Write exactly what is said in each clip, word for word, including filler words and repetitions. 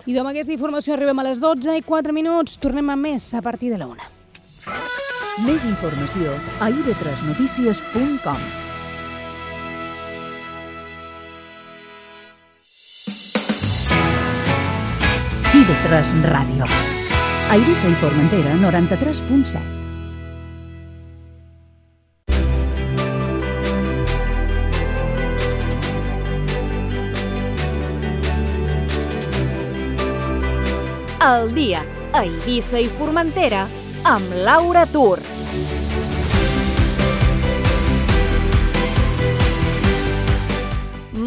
I amb aquesta informació arribem a les dotze i quatre minuts. Tornem amb més a partir de la una. Més informació a i ve tres notícies punt com. i ve tres Ràdio. A Eivissa i Formentera, noranta-tres punt set. El dia a Eivissa i Formentera amb Laura Tur.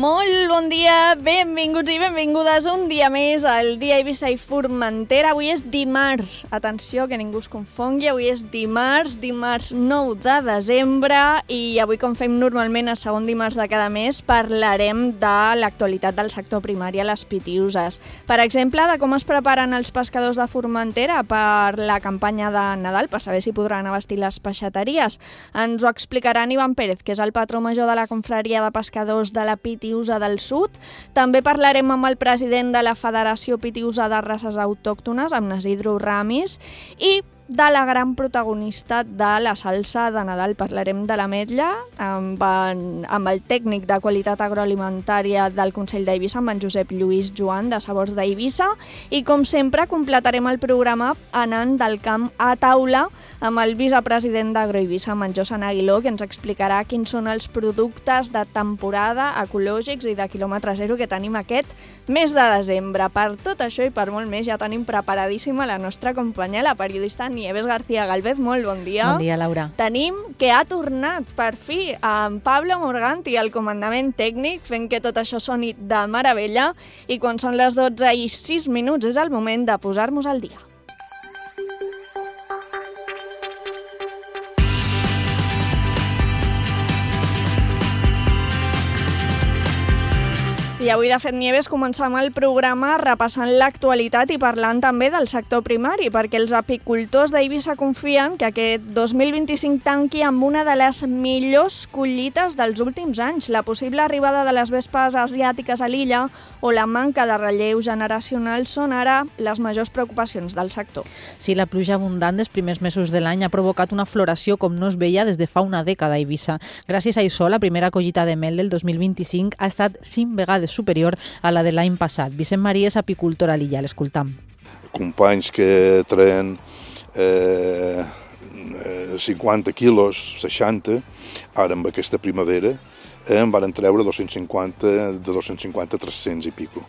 Molt bon dia, benvinguts i benvingudes un dia més al dia Eivissa i Formentera. Avui és dimarts, atenció que ningú es confongui, avui és dimarts, dimarts nou de desembre i avui, com fem normalment a segon dimarts de cada mes, parlarem de l'actualitat del sector primari a les Pitiüses. Per exemple, de com es preparen els pescadors de Formentera per la campanya de Nadal, per saber si podran abastir les peixateries. Ens ho explicarà Ivan Pérez, que és el patró major de la confraria de pescadors de la Pitiüsa del Sud. També parlarem amb el president de la Federació Pitiüsa de Races Autòctones, amb Isidro Ramis, i de la gran protagonista de la salsa de Nadal. Parlarem de l'ametlla amb, en, amb el tècnic de qualitat agroalimentària del Consell d'Eivissa, amb en Josep Lluís Joan, de Sabors d'Eivissa, i com sempre completarem el programa anant del camp a taula amb el vicepresident d'Agroeivissa, amb en Josan Aguiló, que ens explicarà quins són els productes de temporada ecològics i de quilòmetre zero que tenim aquest mes de desembre. Per tot això i per molt més ja tenim preparadíssima la nostra companya, la periodista Nieves García Galvez. Molt bon dia. Bon dia, Laura. Tenim que ha tornat, per fi, en Pablo Morganti al comandament tècnic, fent que tot això soni de meravella, i quan són les dotze i sis minuts és el moment de posar-nos al dia. I avui, de fet, Nieves, començam el programa repassant l'actualitat i parlant també del sector primari, perquè els apicultors d'Eivissa confien que aquest dos mil vint-i-cinc tanqui amb una de les millors collites dels últims anys. La possible arribada de les vespes asiàtiques a l'illa o la manca de relleu generacional són ara les majors preocupacions del sector. Sí, la pluja abundant dels primers mesos de l'any ha provocat una floració com no es veia des de fa una dècada a Eivissa. Gràcies a això, la primera collita de mel del dos mil vint-i-cinc ha estat cinc vegades superior a la de l'any passat. Vicent Maria és apicultor a l'illa, l'escoltam. Companys que traen eh, cinquanta quilos, seixanta, ara amb aquesta primavera eh, en van treure dos-cents cinquanta, de dos-cents cinquanta a tres-cents i pico.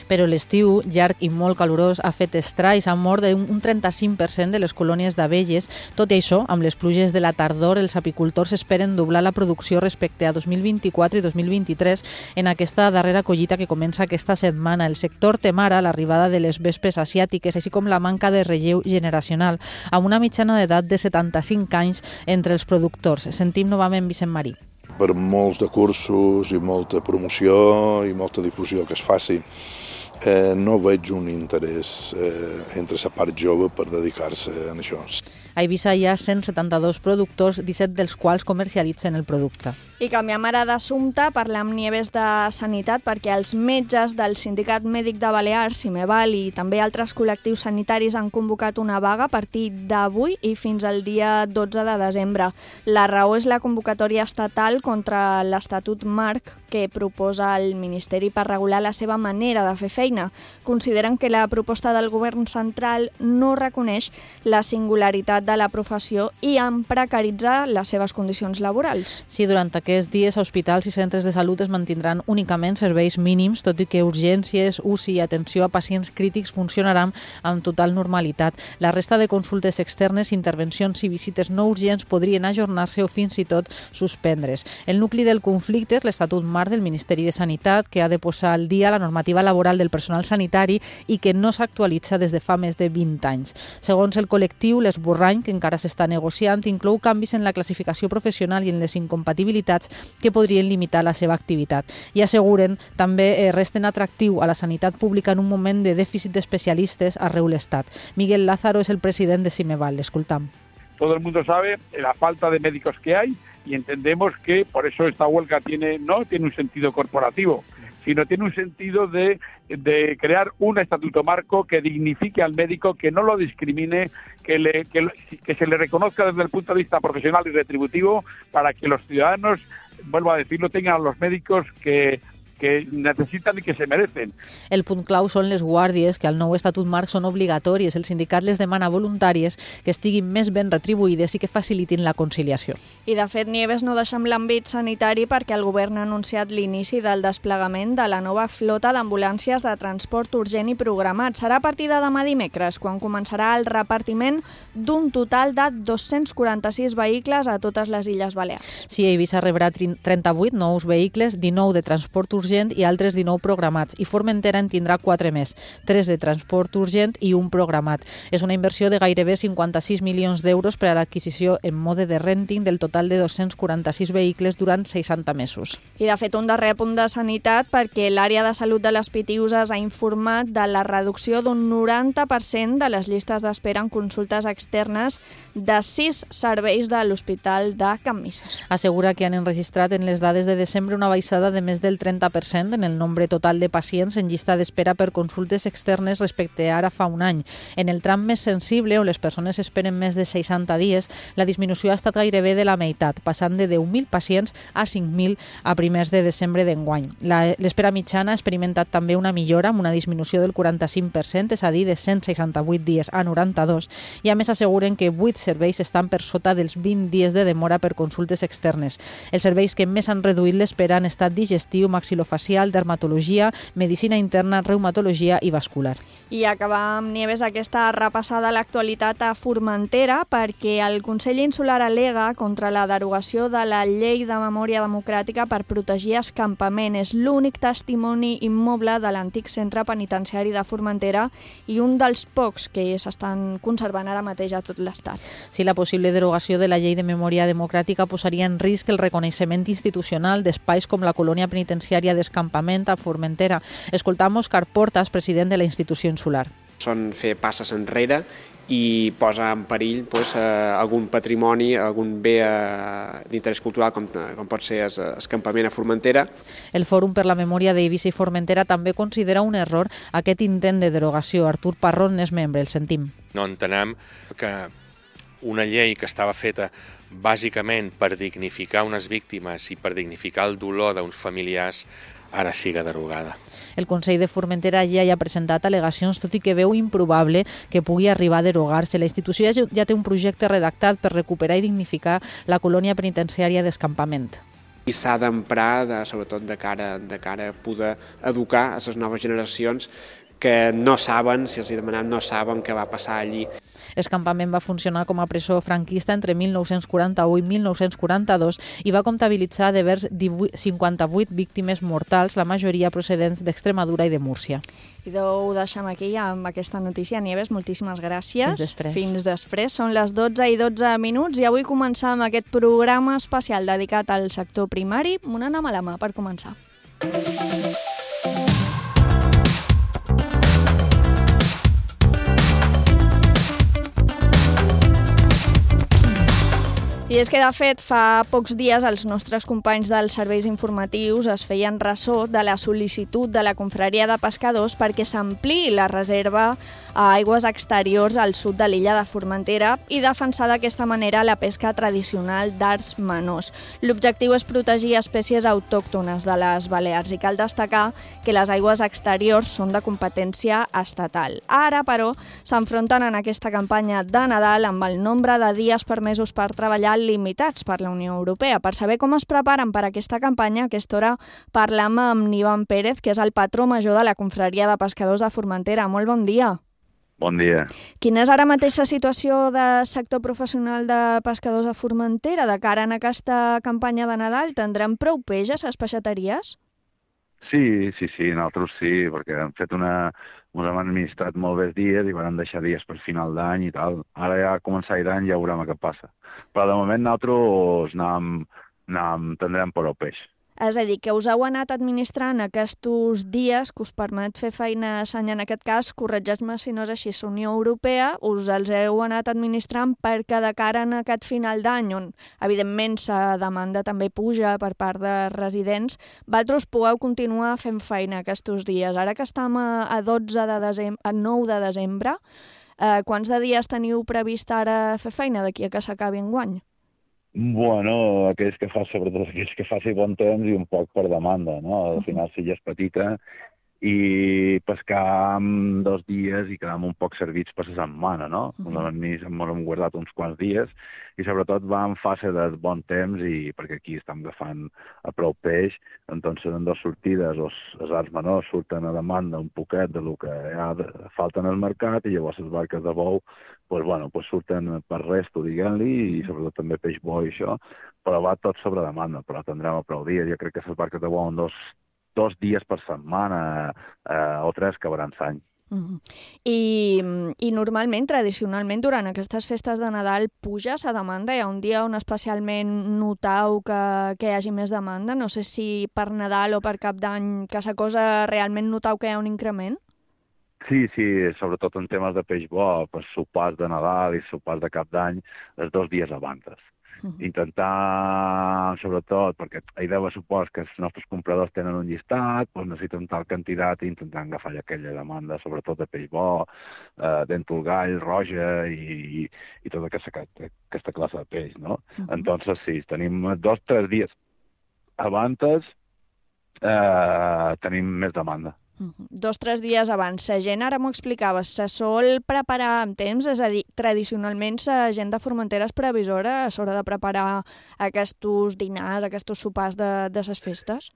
Però l'estiu, llarg i molt calorós, ha fet estralls, ha mort un trenta-cinc per cent de les colònies d'abelles. Tot i això, amb les pluges de la tardor, els apicultors esperen doblar la producció respecte a dos mil vint-i-quatre i dos mil vint-i-tres en aquesta darrera collita que comença aquesta setmana. El sector tem ara l'arribada de les vespes asiàtiques, així com la manca de relleu generacional, amb una mitjana d'edat de setanta-cinc anys entre els productors. Sentim novament Vicent Marí. Per molts de cursos i molta promoció i molta difusió que es faci, eh, no veig un interès eh, entre la part jove per dedicar-se a això. A Eivissa hi ha cent setanta-dos productors, disset dels quals comercialitzen el producte. I canviem ara d'assumpte, parlem amb Nieves de Sanitat, perquè els metges del Sindicat Mèdic de Balears, Cimeval, i també altres col·lectius sanitaris han convocat una vaga a partir d'avui i fins al dia dotze de desembre. La raó és la convocatòria estatal contra l'Estatut Marc que proposa el Ministeri per regular la seva manera de fer feina. Consideren que la proposta del govern central no reconeix la singularitat de la professió i en precaritza les seves condicions laborals. Sí, durant aquests dies, hospitals i centres de salut es mantindran únicament serveis mínims, tot i que urgències, U C I i atenció a pacients crítics funcionaran amb total normalitat. La resta de consultes externes, intervencions i visites no urgents podrien ajornar-se o fins i tot suspendre's. El nucli del conflicte és l'Estatut Marc del Ministeri de Sanitat, que ha de posar al dia la normativa laboral del personal sanitari i que no s'actualitza des de fa més de vint anys. Segons el col·lectiu, l'esborrany, que encara s'està negociant, inclou canvis en la classificació professional i en les incompatibilitats que podrien limitar la seva activitat. I asseguren també eh, resten atractiu a la sanitat pública en un moment de dèficit d'especialistes arreu l'Estat. Miguel Lázaro és el president de Cimeval. L'escoltam. Todo el mundo sabe la falta de médicos que hay y entendemos que por eso esta huelga tiene no tiene un sentido corporativo, sino tiene un sentido de, de crear un estatuto marco que dignifique al médico, que no lo discrimine, que, le, que, que se le reconozca desde el punto de vista profesional y retributivo, para que los ciudadanos, vuelvo a decirlo, tengan a los médicos que que necessiten i que se merecen. El punt clau són les guàrdies, que al nou Estatut Marc són obligatòries. El sindicat les demana voluntàries que estiguin més ben retribuïdes i que facilitin la conciliació. I de fet, Nieves, no deixem l'àmbit sanitari perquè el govern ha anunciat l'inici del desplegament de la nova flota d'ambulàncies de transport urgent i programat. Serà a partir de demà dimecres, quan començarà el repartiment d'un total de dos-cents quaranta-sis vehicles a totes les Illes Balears. Sí, Eivissa rebrà trenta-vuit nous vehicles, dinou de transport urgent i altres dinou programats, i Formentera en tindrà quatre més, tres de transport urgent i un programat. És una inversió de gairebé cinquanta-sis milions d'euros per a l'adquisició en mode de renting del total de dos-cents quaranta-sis vehicles durant seixanta mesos. I de fet un darrer punt de sanitat, perquè l'àrea de salut de les Pitiüses ha informat de la reducció d'un noranta per cent de les llistes d'espera en consultes externes de sis serveis de l'Hospital de Can Misses. Assegura que han enregistrat en les dades de desembre una baixada de més del trenta per cent en el nombre total de pacients en llista d'espera per consultes externes respecte a ara fa un any. En el tram més sensible, on les persones esperen més de seixanta dies, la disminució ha estat gairebé de la meitat, passant de deu mil pacients a cinc mil a primers de desembre d'enguany. L'espera mitjana ha experimentat també una millora, amb una disminució del quaranta-cinc per cent, és a dir, de cent seixanta-vuit dies a noranta-dos, i a més asseguren que vuit serveis estan per sota dels vint dies de demora per consultes externes. Els serveis que més han reduït l'espera han estat digestiu, maxilofacial, dermatologia, medicina interna, reumatologia i vascular. I acabar amb Nieves aquesta repassada a l'actualitat a Formentera, perquè el Consell Insular al·lega contra la derogació de la Llei de Memòria Democràtica per protegir escampament. És l'únic testimoni immoble de l'antic centre penitenciari de Formentera i un dels pocs que s'estan conservant ara mateix a tot l'Estat. Si la possible derogació de la Llei de Memòria Democràtica posaria en risc el reconeixement institucional d'espais com la colònia penitenciària d'Escampament a Formentera. Escoltam Òscar Portas, president de la institució insular. Són fer passes enrere i posa en perill pues, eh, algun patrimoni, algun bé eh, d'interès cultural com, com pot ser Escampament a Formentera. El Fòrum per la Memòria d'Eivissa i Formentera també considera un error aquest intent de derogació. Artur Parrón n'és membre, el sentim. No entenem que una llei que estava feta bàsicament per dignificar unes víctimes i per dignificar el dolor d'uns familiars ara siga derogada. El Consell de Formentera ja hi ha presentat al·legacions, tot i que veu improbable que pugui arribar a derogar-se. La institució ja té un projecte redactat per recuperar i dignificar la colònia penitenciària d'Escampament. I s'ha d'emprar, de, sobretot de cara, de cara a poder educar a les noves generacions que no saben, si els hi demanem, no saben què va passar allí. Escampament va funcionar com a presó franquista entre mil nou-cents quaranta-u i mil nou-cents quaranta-dos i va comptabilitzar de vers cinquanta-vuit víctimes mortals, la majoria procedents d'Extremadura i de Múrcia. I ho deixem aquí amb aquesta notícia. Nieves, moltíssimes gràcies. Fins després. Fins després. Són les dotze i dotze minuts i avui començam aquest programa especial dedicat al sector primari. Una anem a la mà per començar. I és que, de fet, fa pocs dies els nostres companys dels serveis informatius es feien ressò de la sol·licitud de la confraria de pescadors perquè s'ampliï la reserva a aigües exteriors al sud de l'illa de Formentera i defensar d'aquesta manera la pesca tradicional d'arts menors. L'objectiu és protegir espècies autòctones de les Balears i cal destacar que les aigües exteriors són de competència estatal. Ara, però, s'enfronten en aquesta campanya de Nadal amb el nombre de dies permesos per treballar limitats per la Unió Europea. Per saber com es preparen per aquesta campanya, a aquesta hora parlam amb Ivan Pérez, que és el patró major de la confraria de pescadors de Formentera. Molt bon dia. Bon dia. Quina és ara mateix la situació de sector professional de pescadors a Formentera? De cara en aquesta campanya de Nadal, tindrem prou peix a les peixateries? Sí, sí, sí, nosaltres sí, perquè hem fet una... ens hem administrat molt bé dies i vam deixar dies per final d'any i tal. Ara ja a començar l'any ja veurem què passa. Però de moment nosaltres anàvem, anàvem, tindrem prou peix. És a dir, que us heu anat administrant aquests dies que us permet fer feina a Sanya, en aquest cas, corregeix-me si no és així, la Unió Europea, us els heu anat administrant perquè de cara en aquest final d'any, on evidentment la demanda també puja per part de residents, vosaltres podeu continuar fent feina aquests dies. Ara que estem a dotze de desembre, a nou de desembre, eh, quants de dies teniu previst ara fer feina d'aquí a que s'acabi enguany? Bueno, aquells que fa, sobretot aquells que faci bon temps i un poc per demanda, no? Al final, si ja és petita, i pescar en dos dies i quedar un poc servits per la setmana, no? Uh -huh. Ens hem guardat uns quants dies i sobretot va en fase de bon temps i perquè aquí estem agafant a prou peix, doncs en dues sortides els, els arts menors surten a demanda un poquet de lo que hi ha de, falta en el mercat i llavors les barques de bou pues, bueno, pues surten per resto, diguem-li, i sobretot també peix bo i això, però va tot sobre demanda, però tindrem a prou dies. Jo crec que les barques de bou en dos dos dies per setmana eh, o tres acabaran l'any. Uh -huh. I, I normalment, tradicionalment, durant aquestes festes de Nadal puja la demanda? Hi ha un dia on especialment notau que, que hi hagi més demanda? No sé si per Nadal o per Cap d'Any, que la cosa realment notau que hi ha un increment? Sí, sí, sobretot en temes de peix bo, per sopars de Nadal i sopars de Cap d'Any, els dos dies abans. Intentar, sobretot, perquè la idea supos que els nostres compradors tenen un llistat, doncs necessiten tal quantitat i intentant agafar aquella demanda, sobretot de peix bo, eh, dèntul gall, roja i, i, i tota aquesta, aquesta classe de peix, no? Uh-huh. Entonces, sí, tenim dos o tres dies abans eh, tenim més demanda. Uh -huh. Dos o tres dies abans. La gent, ara m'ho explicaves, se sol preparar amb temps? És a dir, tradicionalment la gent de Formentera és previsora a l'hora de preparar aquests dinars, aquests sopars de, de les festes?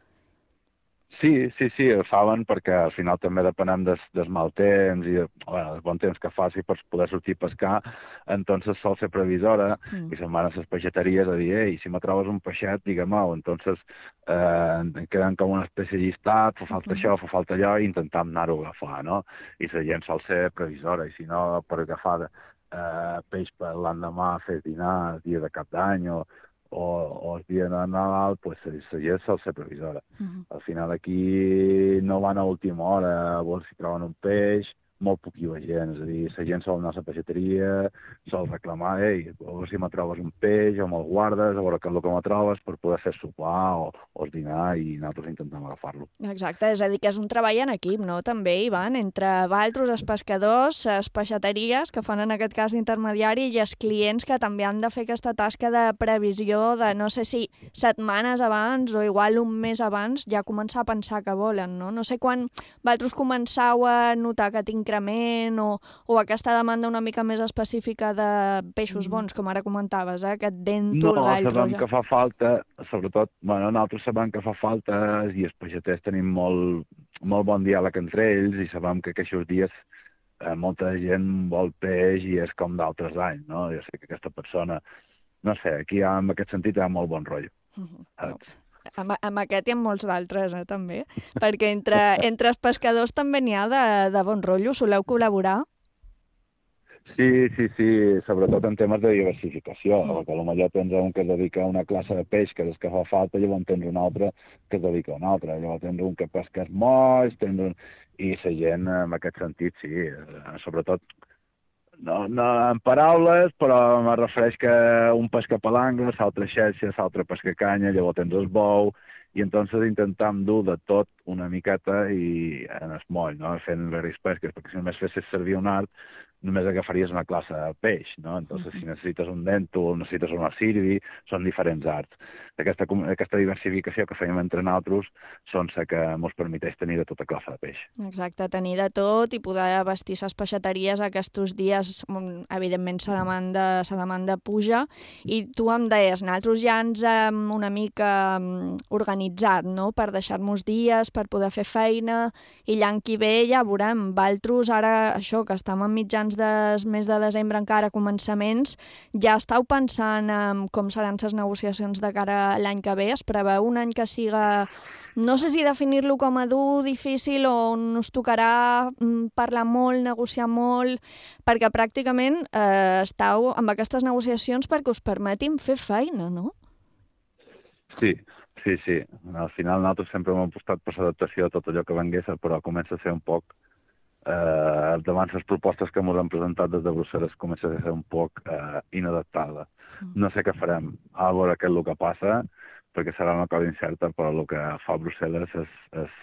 Sí, sí, sí, ho saben perquè al final també depenem des, des mal temps i bueno, del bon temps que faci per poder sortir a pescar, entonces sol ser previsora mm. i se'n van a les peixateries a dir, ei, si me trobes un peixet, digue-m'ho, entonces eh, queden com una espècie de llistat, fa falta mm. això, fa falta allò, i intentam anar-ho a agafar, no? I la gent sol ser previsora, i si no, per agafar eh, peix per l'endemà, fer dinar el dia de Cap d'Any o o, o el dia de Nadal, pues, la gent sol ser previsora. Uh-huh. Al final aquí no van a última hora a veure si troben un peix, molt poquilla gent, és a dir, la gent sol anar a la peixateria, sol reclamar, ei, a veure si me trobes un peix, o me'l guardes, a veure què és el que me trobes per poder fer sopar o, o dinar i nosaltres intentem agafar-lo. Exacte, és a dir, que és un treball en equip, no?, també, Ivan, entre vosaltres, els pescadors, les peixateries, que fan en aquest cas d'intermediari, i els clients que també han de fer aquesta tasca de previsió de, no sé si setmanes abans o igual un mes abans, ja començar a pensar que volen, no? No sé quan vosaltres començau a notar que tinc increment o, o aquesta demanda una mica més específica de peixos bons, com ara comentaves, eh? Aquest dèntul, no, gall, roja. No, sabem que fa falta, sobretot, bueno, nosaltres sabem que fa falta i els peixaters tenim molt, molt bon diàleg entre ells i sabem que aquests dies eh, molta gent vol peix i és com d'altres anys, no? Jo sé que aquesta persona, no sé, aquí en aquest sentit hi ha molt bon rotllo. Uh-huh. Saps? Amb, amb aquest i amb molts d'altres, eh, també. Perquè entre, entre els pescadors també n'hi ha de, de bon rotllo. Soleu col·laborar? Sí, sí, sí, sobretot en temes de diversificació, sí. Perquè potser tens un que es dedica a una classe de peix, que és que fa falta, llavors tens un altre que es dedica a una altra, llavors tens un que pesca els molls, tens un... i la gent, en aquest sentit, sí, sobretot, no, no en paraules, però me refereix que un pesca palangres, l'altre xerxa, l'altre pesca canya, llavors tens el bou, i entonces intentam dur de tot una miqueta i en el moll, no? Fent les pesques, perquè si només fessis servir un art, només agafaries una classe de peix, no? Entonces, si necessites un dèntul, necessites una sirvi, són diferents arts. Aquesta, aquesta diversificació que fèiem entre nosaltres són la que ens permeteix tenir de tota classe de peix. Exacte, tenir de tot i poder vestir les peixateries aquests dies, evidentment la demanda, la demanda puja, i tu em deies, nosaltres ja ens hem una mica organitzat, no?, per deixar-nos dies, per poder fer feina, i l'any que ve ja veurem, vosaltres ara, això, que estem en mitjans del mes de desembre encara, començaments, ja estàu pensant en com seran les negociacions de cara a l'any que ve? Es preveu un any que siga, no sé si definir-lo com a dur, difícil, o on us tocarà parlar molt, negociar molt, perquè pràcticament eh, estàu amb aquestes negociacions perquè us permetin fer feina, no? Sí, Sí, sí. Al final nosaltres sempre hem apostat per l'adaptació de tot allò que vengués, però comença a ser un poc... Eh, davant les propostes que ens han presentat des de Brussel·les comença a ser un poc eh, inadaptada. No sé què farem, a veure què és el que passa, perquè serà una cosa incerta, però el que fa Brussel·les és, és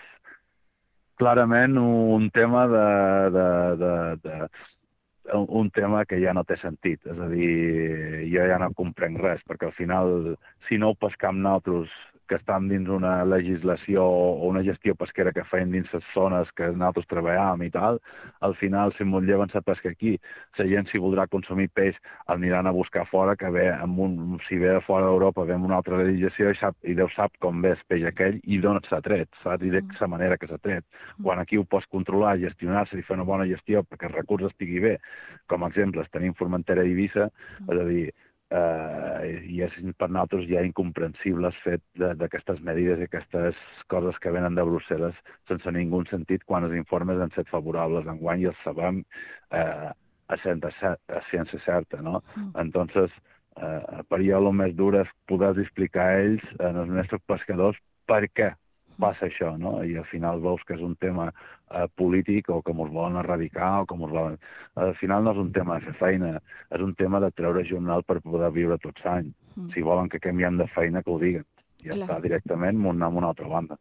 clarament un tema de, de, de, de un tema que ja no té sentit. És a dir, jo ja no comprenc res, perquè al final, si no ho pescam nosaltres, que estan dins una legislació o una gestió pesquera que feien dins les zones que nosaltres treballàvem i tal, al final, si ens lleven la pesca aquí, la gent, si voldrà consumir peix, el aniran a buscar fora, que ve amb un, si ve de fora d'Europa, ve amb una altra legislació i, sap, i Déu sap com ve el peix aquell i d'on s'ha tret, saps? I de la manera que s'ha tret. Quan aquí ho pots controlar, gestionar-se i fer una bona gestió perquè el recurs estigui bé, com a exemples tenim Formentera i Eivissa, és a dir, Uh, i és per nosaltres ja incomprensible el fet d'aquestes medides i aquestes coses que venen de Brussel·les sense ningú sentit quan els informes han estat favorables. Enguany ja els sabem uh, a, a ciència certa, no? Mm. Entonces, uh, per jo el més dur és poder explicar a ells, als nostres pescadors, per què passa això, no? I al final veus que és un tema eh, polític o que ens volen erradicar o que ens volen... Al final no és un tema de fer feina, és un tema de treure jornal per poder viure tots anys. Mm. Si volen que canviem de feina, que ho diguen. Ja clar. Està directament anar a una altra banda.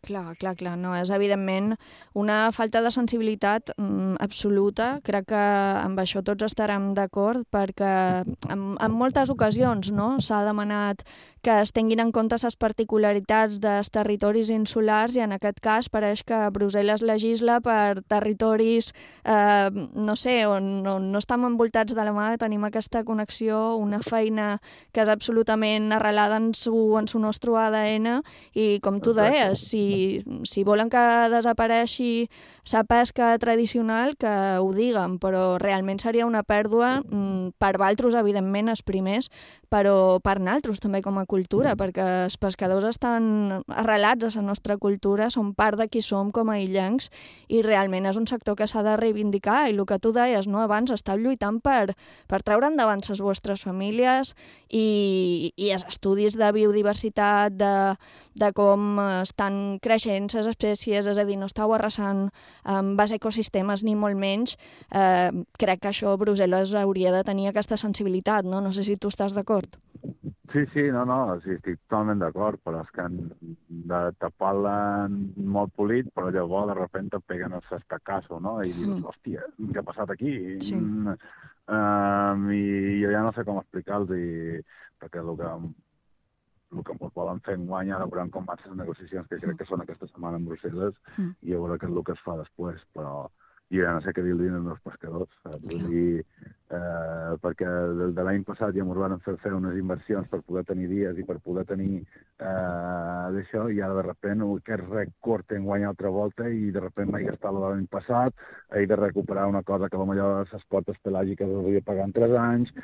Clar, clar, clar. No, és evidentment una falta de sensibilitat mm, absoluta. Crec que amb això tots estarem d'acord perquè en, en moltes ocasions no, s'ha demanat que es tinguin en compte les particularitats dels territoris insulars i en aquest cas pareix que Brussel·les legisla per territoris, eh, no sé, on, on no estem envoltats de la mà, tenim aquesta connexió, una feina que és absolutament arrelada en su, en su nostre A D N i com tu deies, si, si volen que desapareixi la pesca tradicional, que ho diguen, però realment seria una pèrdua per valtros, evidentment, els primers, però per naltros també com a cultura, perquè els pescadors estan arrelats a la nostra cultura, són part de qui som com a illencs i realment és un sector que s'ha de reivindicar i el que tu deies, no? Abans estàu lluitant per, per treure endavant les vostres famílies i, i els estudis de biodiversitat, de, de com estan creixent les espècies, és a dir, no estàu arrasant amb els ecosistemes ni molt menys. Eh, crec que això Brussel·les hauria de tenir aquesta sensibilitat, no? No sé si tu estàs d'acord. Sí, sí, no, no, sí, estic totalment d'acord, però és que de tapar-la molt polit, però llavors de sobte et peguen el s'estacasso, no? I dius, mm. hòstia, què ha passat aquí? Sí. Mm, um, I jo ja no sé com explicar-los, i, perquè el que, el que ens volen fer enguany, ara veurem com van les negociacions, que crec que són aquesta setmana en Brussel·les, mm. i a veure què és el que es fa després, però jo ja no sé què dir-li als meus pescadors, saps? Vull dir, eh, perquè de, de l'any passat ja ens van fer fer unes inversions per poder tenir dies i per poder tenir eh, d'això, i ara de repent aquest record enguany altra volta i de repent m'he gastat l'any passat, he de recuperar una cosa que potser les quotes pelàgiques les havia pagat en tres anys,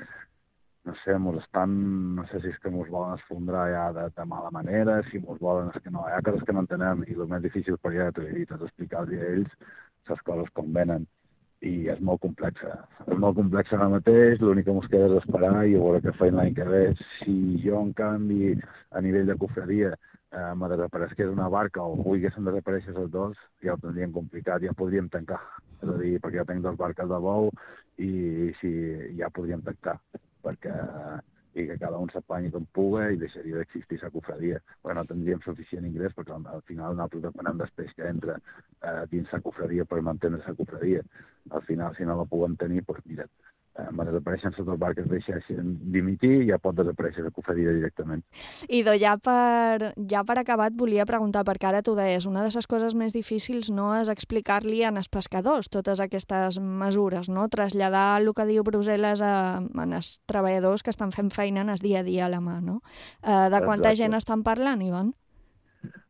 no sé, mos estan, no sé si és que mos volen esfondrar ja de, de mala manera, si mos volen, és que no, hi ha coses que no entenem i el més difícil per ja t'ho he dit, és explicar-los a ells les coses com venen, i és molt complexa. És molt complexa ara mateix, l'únic que ens queda és esperar i veure què feim l'any que ve. Si jo, en canvi, a nivell de cofreria, eh, me desaparegués una barca o volguessin desaparèixer els dos, ja ho tindríem complicat, ja podríem tancar. És a dir, perquè jo tinc dos barques de bou i si, ja podríem tancar, perquè i que cada un s'apanyi com puga i deixaria d'existir la cofredia. Perquè no tindríem suficient ingrés, perquè al final nosaltres depenem del peix que entra eh, dins la cofredia per mantenir la cofredia. Al final, si no la puguem tenir, doncs mira, eh, quan desapareixen les dues barques deixen dimitir i ja pot desaparèixer la cofredia directament. Idò, ja per, ja per acabar et volia preguntar, perquè ara tu deies, una de les coses més difícils no és explicar-li als pescadors totes aquestes mesures, no? Traslladar el que diu Brussel·les a, a els treballadors que estan fent feina en el dia a dia a la mà, no? Eh, de quanta Exacte. Gent estan parlant, Ivan?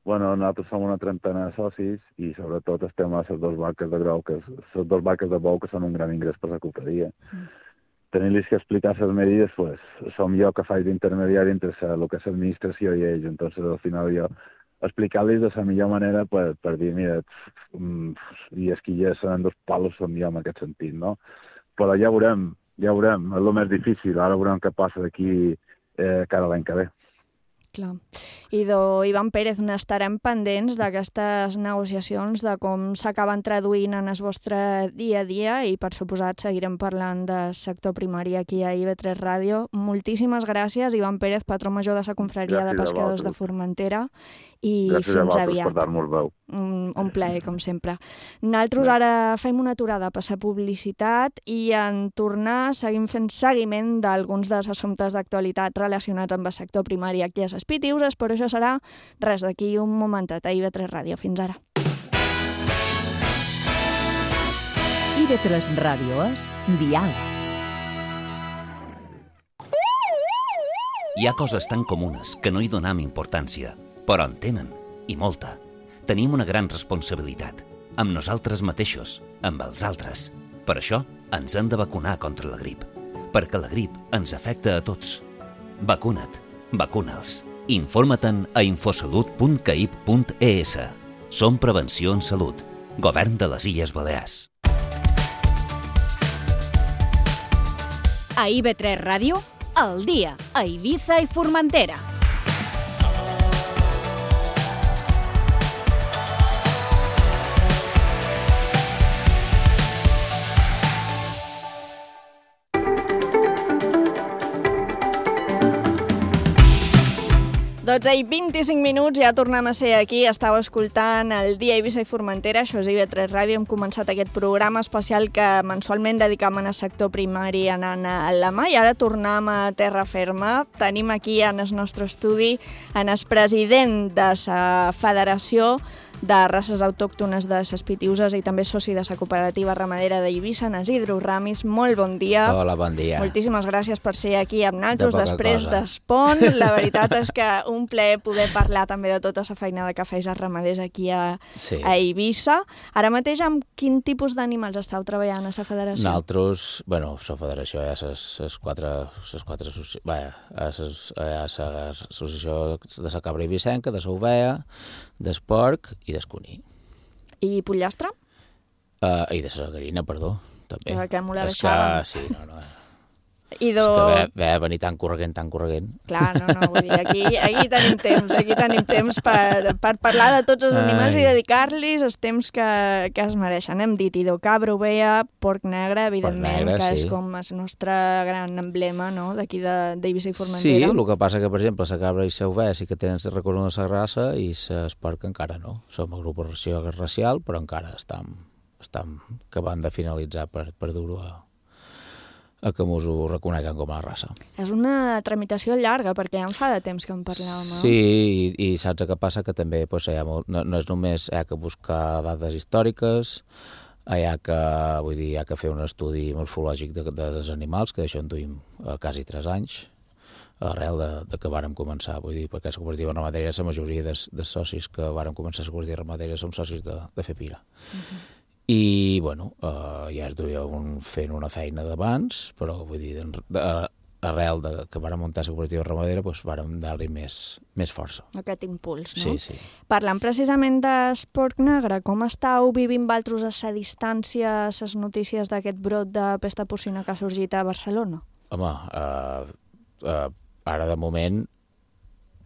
Bueno, nosaltres som una trentena de socis i sobretot estem a les dues barques de grau, que les dues barques de bou que són un gran ingrés per la cofredia. Mm. Tenir-los que explicar les medides, pues, som jo que faig d'intermediari entre el que és l'administració i ells, entonces al final jo explicar-los de la millor manera per, per dir, mira, i és que ja seran dos palos, som jo en aquest sentit, no? Però ja veurem, ja veurem, és el més difícil, ara veurem què passa d'aquí eh, cada l'any que ve. Clar. Idò Ivan Pérez, n'estarem pendents d'aquestes negociacions, de com s'acaben traduint en el vostre dia a dia i, per suposat, seguirem parlant del sector primari aquí a I V tres Ràdio. Moltíssimes gràcies, Ivan Pérez, patró major de la Confraria de Pescadors de Formentera, i gràcies fins a aviat. per dar-nos veu. Un, un plaer, com sempre. Nosaltres ara fem una aturada a passar publicitat i en tornar seguim fent seguiment d'alguns dels assumptes d'actualitat relacionats amb el sector primari aquí a les Pitiuses, però això serà res d'aquí un momentet a I V tres Ràdio. Fins ara. I V tres Ràdio és Dial. Hi ha coses tan comunes que no hi donem importància, però en tenen, i molta. Tenim una gran responsabilitat, amb nosaltres mateixos, amb els altres. Per això ens hem de vacunar contra la grip, perquè la grip ens afecta a tots. Vacuna't, vacuna'ls. Informa-te'n a infosalut punt caip punt e s. Som Prevenció en Salut, Govern de les Illes Balears. A I V tres Ràdio, al dia, a Eivissa i Formentera. dotze i vint-i-cinc minuts, ja tornem a ser aquí. Estàu escoltant el dia Eivissa i Formentera, això és I V tres Ràdio. Hem començat aquest programa especial que mensualment dedicam al sector primari anant a la mà i ara tornem a terra ferma. Tenim aquí en el nostre estudi en el president de la Federació de Races Autòctones de les Pitiuses i també soci de la cooperativa ramadera d'Eivissa, en Isidro Ramis. Molt bon dia. Hola, bon dia. Moltíssimes gràcies per ser aquí amb nosaltres de després cosa. d'Espont. La veritat és que un plaer poder parlar també de tota la feinada que feis els ramaders aquí a, sí. a Eivissa. Ara mateix, amb quin tipus d'animals estàu treballant a la federació? Nosaltres, bueno, la federació hi ha les quatre, les quatre vaja, hi ha l'associació de la cabra eivissenca, de l'ovella, del porc i del cuní. I pollastre? Uh, I de la gallina, perdó, també. Que, que m'ho la és deixàvem. que, sí, no, no. I do... És que ve, ve a venir tan corregent, tan corregent. Clar, no, no, vull dir, aquí, aquí tenim temps, aquí tenim temps per, per parlar de tots els animals Ai. i dedicar-los els temps que, que es mereixen. Hem dit idò, cabra, ovella, porc negre, evidentment, negre, que sí. és com el nostre gran emblema, no?, d'aquí d'Eivissa i Formentera. Sí, el que passa que, per exemple, la cabra i la ovella sí que tenen reconegut la raça i el porc encara no. Som agrupació racial, però encara estem, estem acabant de finalitzar per, per dur-ho a a que mos ho reconeguen com a raça. És una tramitació llarga, perquè ja en fa de temps que en parlàvem, no? Sí, i, i saps què passa? Que també pues, hi ha molt, no, no és només hi ha que buscar dades històriques, hi ha que, vull dir, hi ha que fer un estudi morfològic de, de, dels animals, que d'això en duim a quasi tres anys, arrel de, de que vàrem començar, vull dir, perquè la cooperativa ramadera, la majoria de, de socis que vàrem començar la cooperativa ramadera som socis de, de Fepira. Uh-huh. I, bueno, eh, ja es duia un, fent una feina d'abans, però, vull dir, de, arrel de que vàrem muntar la cooperativa ramadera, doncs vàrem dar-li més, més força. Aquest impuls, no? Sí, sí. Parlant precisament d'esport negre, com estàu vivint valtros a sa distància les notícies d'aquest brot de pesta porcina que ha sorgit a Barcelona? Home, eh, eh, ara de moment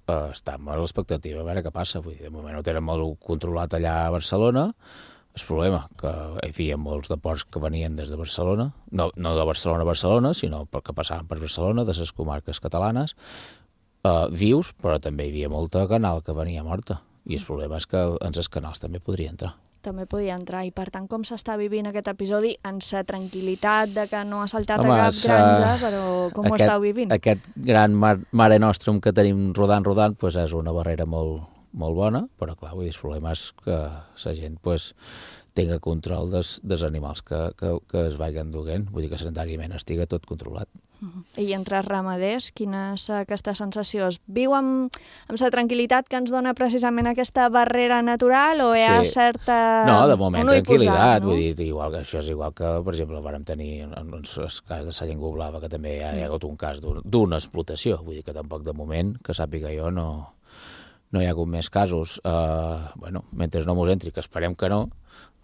eh, estem a l'expectativa a veure què passa. Vull dir, de moment ho tenen molt controlat allà a Barcelona. El problema, que hi havia molts de porcs que venien des de Barcelona, no, no de Barcelona a Barcelona, sinó perquè passaven per Barcelona, de les comarques catalanes, eh, vius, però també hi havia molta canal que venia morta. I el problema és que en els canals també podria entrar. També podia entrar, i per tant, com s'està vivint aquest episodi en sa tranquil·litat de que no ha saltat Home, a cap sa... granja, però com aquest, ho estàu vivint? Aquest gran mar, mare nostrum que tenim rodant, rodant, pues és una barrera molt, molt bona, però clar, vull dir, el problema és que la gent pues, tinga control dels, dels animals que, que, que es vagin duent, vull dir que sanitàriament estiga tot controlat. Uh-huh. I entre els ramaders, quina és aquesta sensació? Es viu amb, amb la tranquil·litat que ens dona precisament aquesta barrera natural o hi ha sí. certa... No, de moment tranquil·litat, posar, no? vull dir, igual que això és igual que, per exemple, vàrem tenir en el cas de la llengua blava, que també hi ha, hi ha hagut un cas d'una explotació, vull dir que tampoc de moment, que sàpiga jo, no... no hi ha hagut més casos. Uh, bueno, mentre no mos entri, que esperem que no,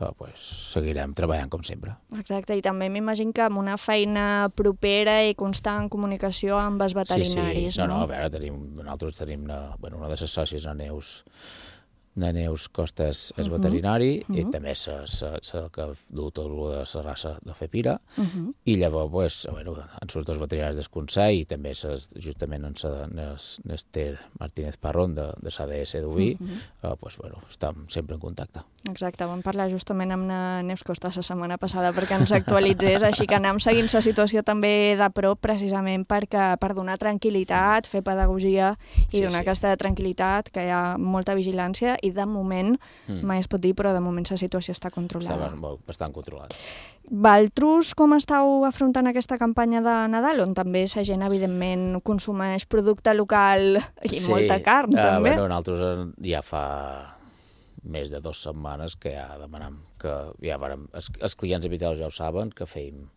uh, pues, seguirem treballant com sempre. Exacte, i també m'imagino que amb una feina propera i constant comunicació amb els veterinaris, sí, sí. No, no? no, a veure, tenim, nosaltres tenim una, bueno, una de les sòcies, la Neus, la Neus Costes és veterinari, uh -huh. i també és la que du tot el de la raça de Fepira, uh -huh. i llavors pues, bueno, en surts dos veterinaris del Consell i també ses, justament en l'Ester Martínez Parrón de, de l'A D S d'Uví, uh -huh. uh, pues, bueno, estem sempre en contacte. Exacte, vam parlar justament amb la Neus Costes la setmana passada perquè ens actualitzés, així que anem seguint la situació també de prop precisament perquè, per donar tranquil·litat, fer pedagogia i sí, donar sí. aquesta tranquil·litat, que hi ha molta vigilància i de moment, mm. mai es pot dir, però de moment la situació està controlada. Està bastant controlada. Valtros, com estàu afrontant aquesta campanya de Nadal, on també la gent, evidentment, consumeix producte local i sí. molta carn, uh, també? Bueno, nosaltres ja fa més de dues setmanes que ja demanem que ja varem, els, els clients habituals ja ho saben, que feim,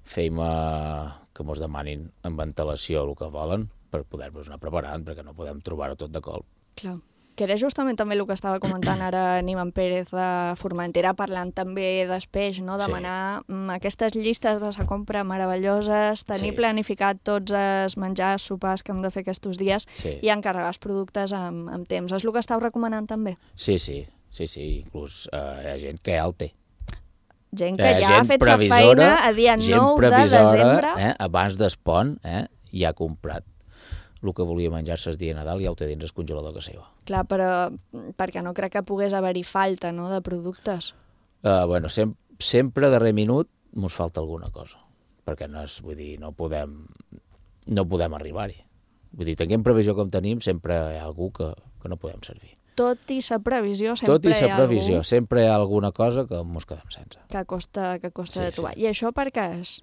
feim uh, que mos demanin amb ventilació el que volen per poder-nos anar preparant, perquè no podem trobar-ho tot de colp. Clar. Que era justament també el que estava comentant ara Niman Pérez de Formentera, parlant també d'espeix, no? Demanar sí. aquestes llistes de la compra meravelloses, tenir sí. planificat tots els menjars, sopars que hem de fer aquests dies sí. i encarregar els productes amb, amb temps. És el que estàu recomanant també? Sí, sí, sí, sí. Inclús uh, hi ha gent que ja el té. Gent que ja ha fet la feina a dia nou de desembre. Eh, abans d'Espont, eh, ja ha comprat el que volia menjar-se el dia de Nadal ja ho té dins el congelador a casa seva. Clar, però perquè no crec que pogués haver-hi falta, no?, de productes. Uh, bueno, sem sempre a darrer minut mos falta alguna cosa, perquè no és, vull dir, no podem, no podem arribar-hi. Vull dir, tenint previsió com tenim, sempre hi ha algú que, que no podem servir. Tot i la previsió, sempre Tot i hi ha la previsió, algú... sempre hi ha alguna cosa que mos quedem sense. Que costa, que costa sí, de trobar. Sí. I això per què és?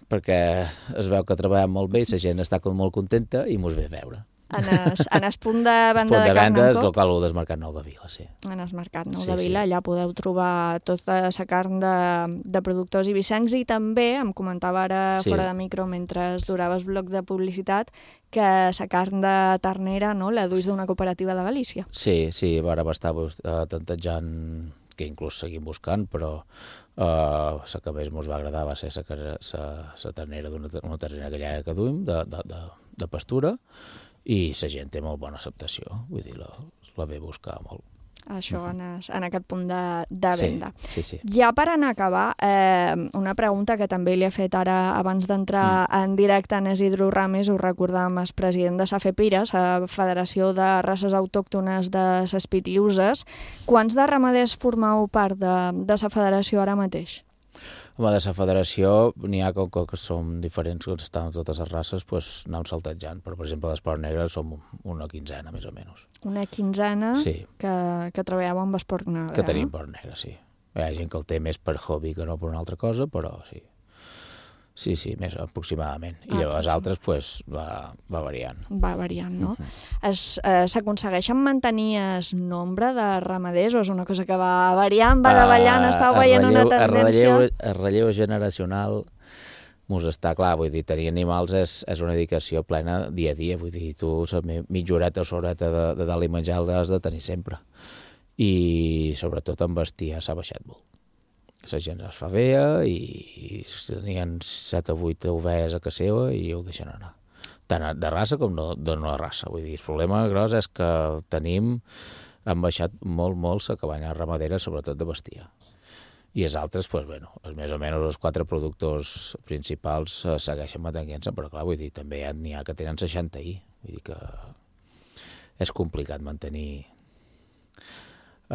Perquè es veu que treballem molt bé i la gent està molt contenta i mos ve a veure. En es, en es punt de venda de, de carn en cop? El local del Mercat Nou de Vila, sí. En el Mercat Nou sí, de Vila, sí. allà podeu trobar tota la carn de, de productors ibicencs i també, em comentava ara sí. fora de micro mentre durava el bloc de publicitat, que la carn de ternera, no?, la duis d'una cooperativa de Galícia. Sí, sí, ara va estar uh, tantejant, que inclús seguim buscant, però uh, la que més ens va agradar va ser la ternera d'una ternera gallega que duim, de, de, de, de pastura, i la gent té molt bona acceptació, vull dir, la, la ve buscar molt. Això en, es, en aquest punt de, de venda. Sí, sí, sí. Ja per anar a acabar, eh, una pregunta que també li he fet ara abans d'entrar mm. en directe en Isidro Ramis, ho recordàvem, el president de la FEPIRA, la Federació de Races Autòctones de les Pitiüses. Quants de ramaders formeu part de, de la federació ara mateix? Home, de la federació n'hi ha com que som diferents, que estan totes les races, doncs anem saltejant. Però, per exemple, l'esport negre som una quinzena, més o menys. Una quinzena sí. que, que treballeu amb esport negre. Que tenim esport negre, sí. Hi ha gent que el té més per hobby que no per una altra cosa, però sí. Sí, sí, més aproximadament. I ah, llavors altres, pues, va, va variant. Va variant, no? Uh-huh. eh, S'aconsegueixen mantenir el nombre de ramaders o és una cosa que va variant, va davallant, uh, estàu veient relleu, una tendència? El relleu, el relleu generacional mos està clar, vull dir, tenir animals és, és una dedicació plena dia a dia, vull dir, tu la mitja horeta o horeta de, de dalt i menjar l'has de tenir sempre. I sobretot en bestiar s'ha baixat molt. La gent es fa vea i, i tenien set o vuit ovelles a casa seva i ho deixen anar. Tant de raça com no, de no raça. Vull dir, el problema gros és que tenim, han baixat molt, molt la cabanya ramadera, sobretot de bestiar. I els altres, pues, bueno, més o menys els quatre productors principals segueixen mantenint-se, però clar, vull dir, també n'hi ha que tenen seixanta i. Vull dir que és complicat mantenir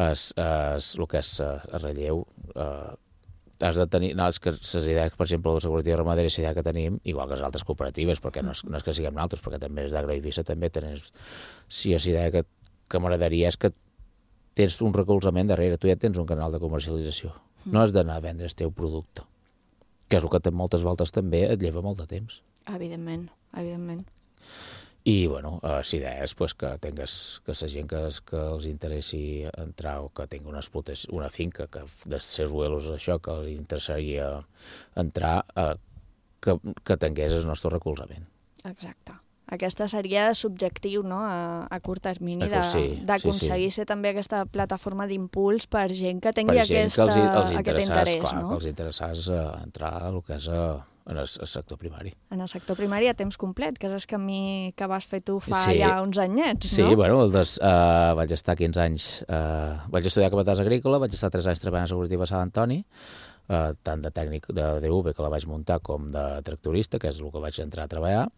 Es, es, el que és el relleu, eh, has de tenir, no, és que les idees, per exemple, de la cooperativa ramadera és la idea que tenim, igual que les altres cooperatives, perquè no és, no és que siguem nosaltres, perquè també és d'Agroeivissa, també tens, si és idea que, que m'agradaria és que tens un recolzament darrere, tu ja tens un canal de comercialització, no has d'anar a vendre el teu producte, que és el que moltes voltes també et lleva molt de temps. Evidentment, evidentment. I, bueno, la idea és pues, que tingues, que la gent que, que els interessi entrar o que tingui una, una finca, que de ser suelos això, que li interessaria entrar, eh, que, que tingués el nostre recolzament. Exacte, aquesta seria subjectiu, no?, a, a curt termini, d'aconseguir sí, sí, sí. ser també aquesta plataforma d'impuls per gent que tingui per gent aquesta, que els, els aquest interès. Clar, no? que els interessés uh, entrar a el que és uh, en el, el sector primari. En el sector primari a temps complet, que és el camí que vas fer tu fa sí. ja uns anyets, sí, no? Sí, bueno, des, uh, vaig estar quinze anys, uh, vaig estudiar capatàs agrícola, vaig estar tres anys treballant a Seguretiva a Sant Antoni, uh, tant de tècnic de D V, que la vaig muntar, com de tractorista, que és el que vaig entrar a treballar.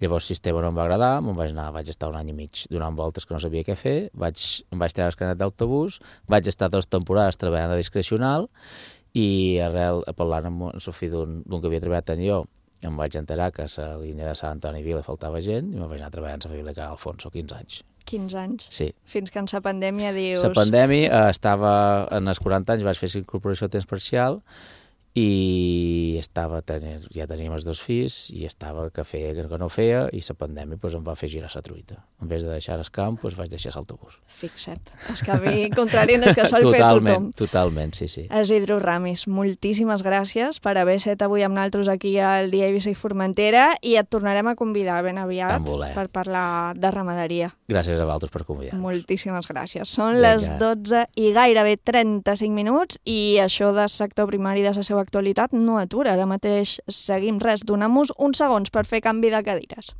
Llavors el sistema no em va agradar, me'n vaig anar, vaig estar un any i mig donant voltes que no sabia què fer, vaig, em vaig treure el carnet d'autobús, vaig estar dues temporades treballant de discrecional i arrel, parlant amb el fill d'un que havia treballat en jo, em vaig enterar que a la línia de Sant Antoni Vila faltava gent i me'n vaig anar treballant a la Bíblia Can Alfonso, quinze anys. quinze anys? Sí. Fins que en la pandèmia dius... La pandèmia eh, estava, en els quaranta anys vaig fer la incorporació a temps parcial i estava tenint, ja teníem els dos fills i estava que feia que no feia i la pandèmia pues, em va fer girar la truita. En vez de deixar el camp, pues, vaig deixar l'autobús. Fixa't, el camí contrari en el que sol fer tothom. Totalment, sí, sí. Isidro Ramis, moltíssimes gràcies per haver estat avui amb nosaltres aquí al Dia Eivissa i Formentera i et tornarem a convidar ben aviat per parlar de ramaderia. Gràcies a vosaltres per convidar-nos. Moltíssimes gràcies. Són Venga. les dotze i gairebé trenta-cinc minuts i això del sector primari de la seva actualitat no atura. Ara mateix seguim res. Donem-nos uns segons per fer canvi de cadires.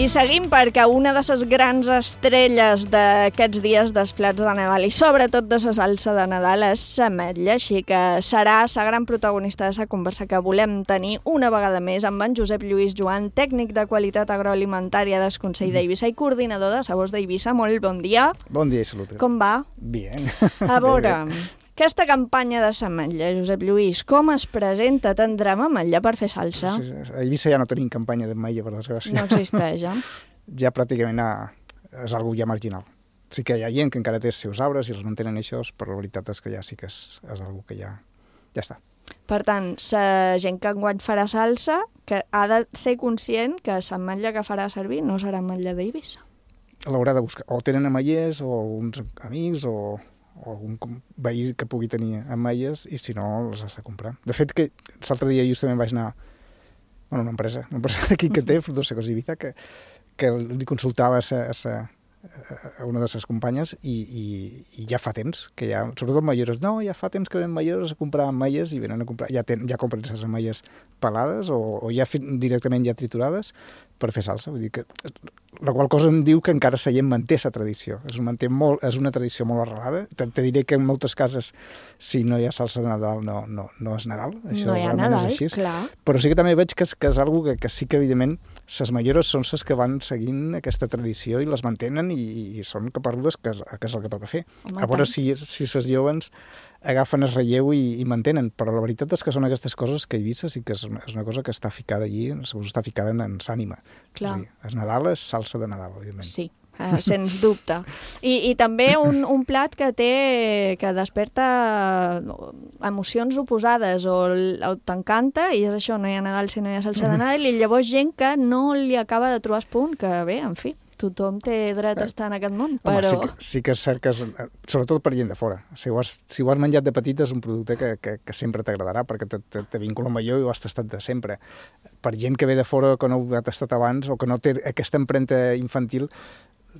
I seguim perquè una de les grans estrelles d'aquests dies dels plats de Nadal i sobretot de la salsa de Nadal és l'ametlla, així que serà la gran protagonista de la conversa que volem tenir una vegada més amb en Josep Lluís Joan, tècnic de qualitat agroalimentària del Consell d'Eivissa i coordinador de Sabors d'Eivissa. Molt bon dia. Bon dia i salut. Com va? Bien. A veure... Aquesta campanya de l'ametlla, Josep Lluís, com es presenta? Tindrem ametlla per fer salsa? A Eivissa ja no tenim campanya d'ametlla, per desgràcia. No existeix, ja? Ja pràcticament és algo ja marginal. Sí que hi ha gent que encara té els seus arbres i els mantenen això, però la veritat és que ja sí que és, és algo que ja, ja està. Per tant, la gent que enguany farà salsa que ha de ser conscient que l'ametlla que farà servir no serà ametlla d'Eivissa. L'haurà de buscar. O tenen ametllers, o uns amics, o... o algun veí que pugui tenir ametlles i si no les has de comprar. De fet, que l'altre dia justament vaig anar a una empresa, una empresa aquí que té Frutos Secos d'Eivissa, que, que li consultava a, sa, a, sa, a una de les companyes i, i, i ja fa temps que ja, sobretot ametllers, no, ja fa temps que venen ametllers a comprar ametlles i venen a comprar, ja, ten, ja compren les ametlles pelades o, o ja directament ja triturades per fer salsa. Vull dir que la qual cosa em diu que encara la gent manté la tradició. És, manté molt, és una tradició molt arrelada. Te, te diré que en moltes cases, si no hi ha salsa de Nadal, no, no, no és Nadal. Això no hi ha Nadal, és així. Clar. Però sí que també veig que és, que és algo que, que sí que, evidentment, les majores són les que van seguint aquesta tradició i les mantenen i, i són caparudes que, que és el que toca fer. Home, a veure si, si les joves agafen el relleu i, i mantenen, però la veritat és que són aquestes coses que Eivissa sí que és una, és una cosa que està ficada allí, està ficada en, en l'ànima. Clar. És, dir, és Nadal, és salsa de Nadal, evidentment. Sí, eh, sens dubte. I, i també un, un plat que té, que desperta emocions oposades, o, o t'encanta, i és això, no hi ha Nadal si no hi ha salsa de Nadal, i llavors gent que no li acaba de trobar el punt, que bé, en fi, tothom té dret a estar en aquest món, però... Home, sí que, sí que és cert que, és, sobretot per gent de fora, si ho has, si ho has menjat de petit és un producte que, que, que sempre t'agradarà, perquè te, te, te vincula amb allò i ho has tastat de sempre. Per gent que ve de fora, que no ho ha tastat abans, o que no té aquesta empremta infantil,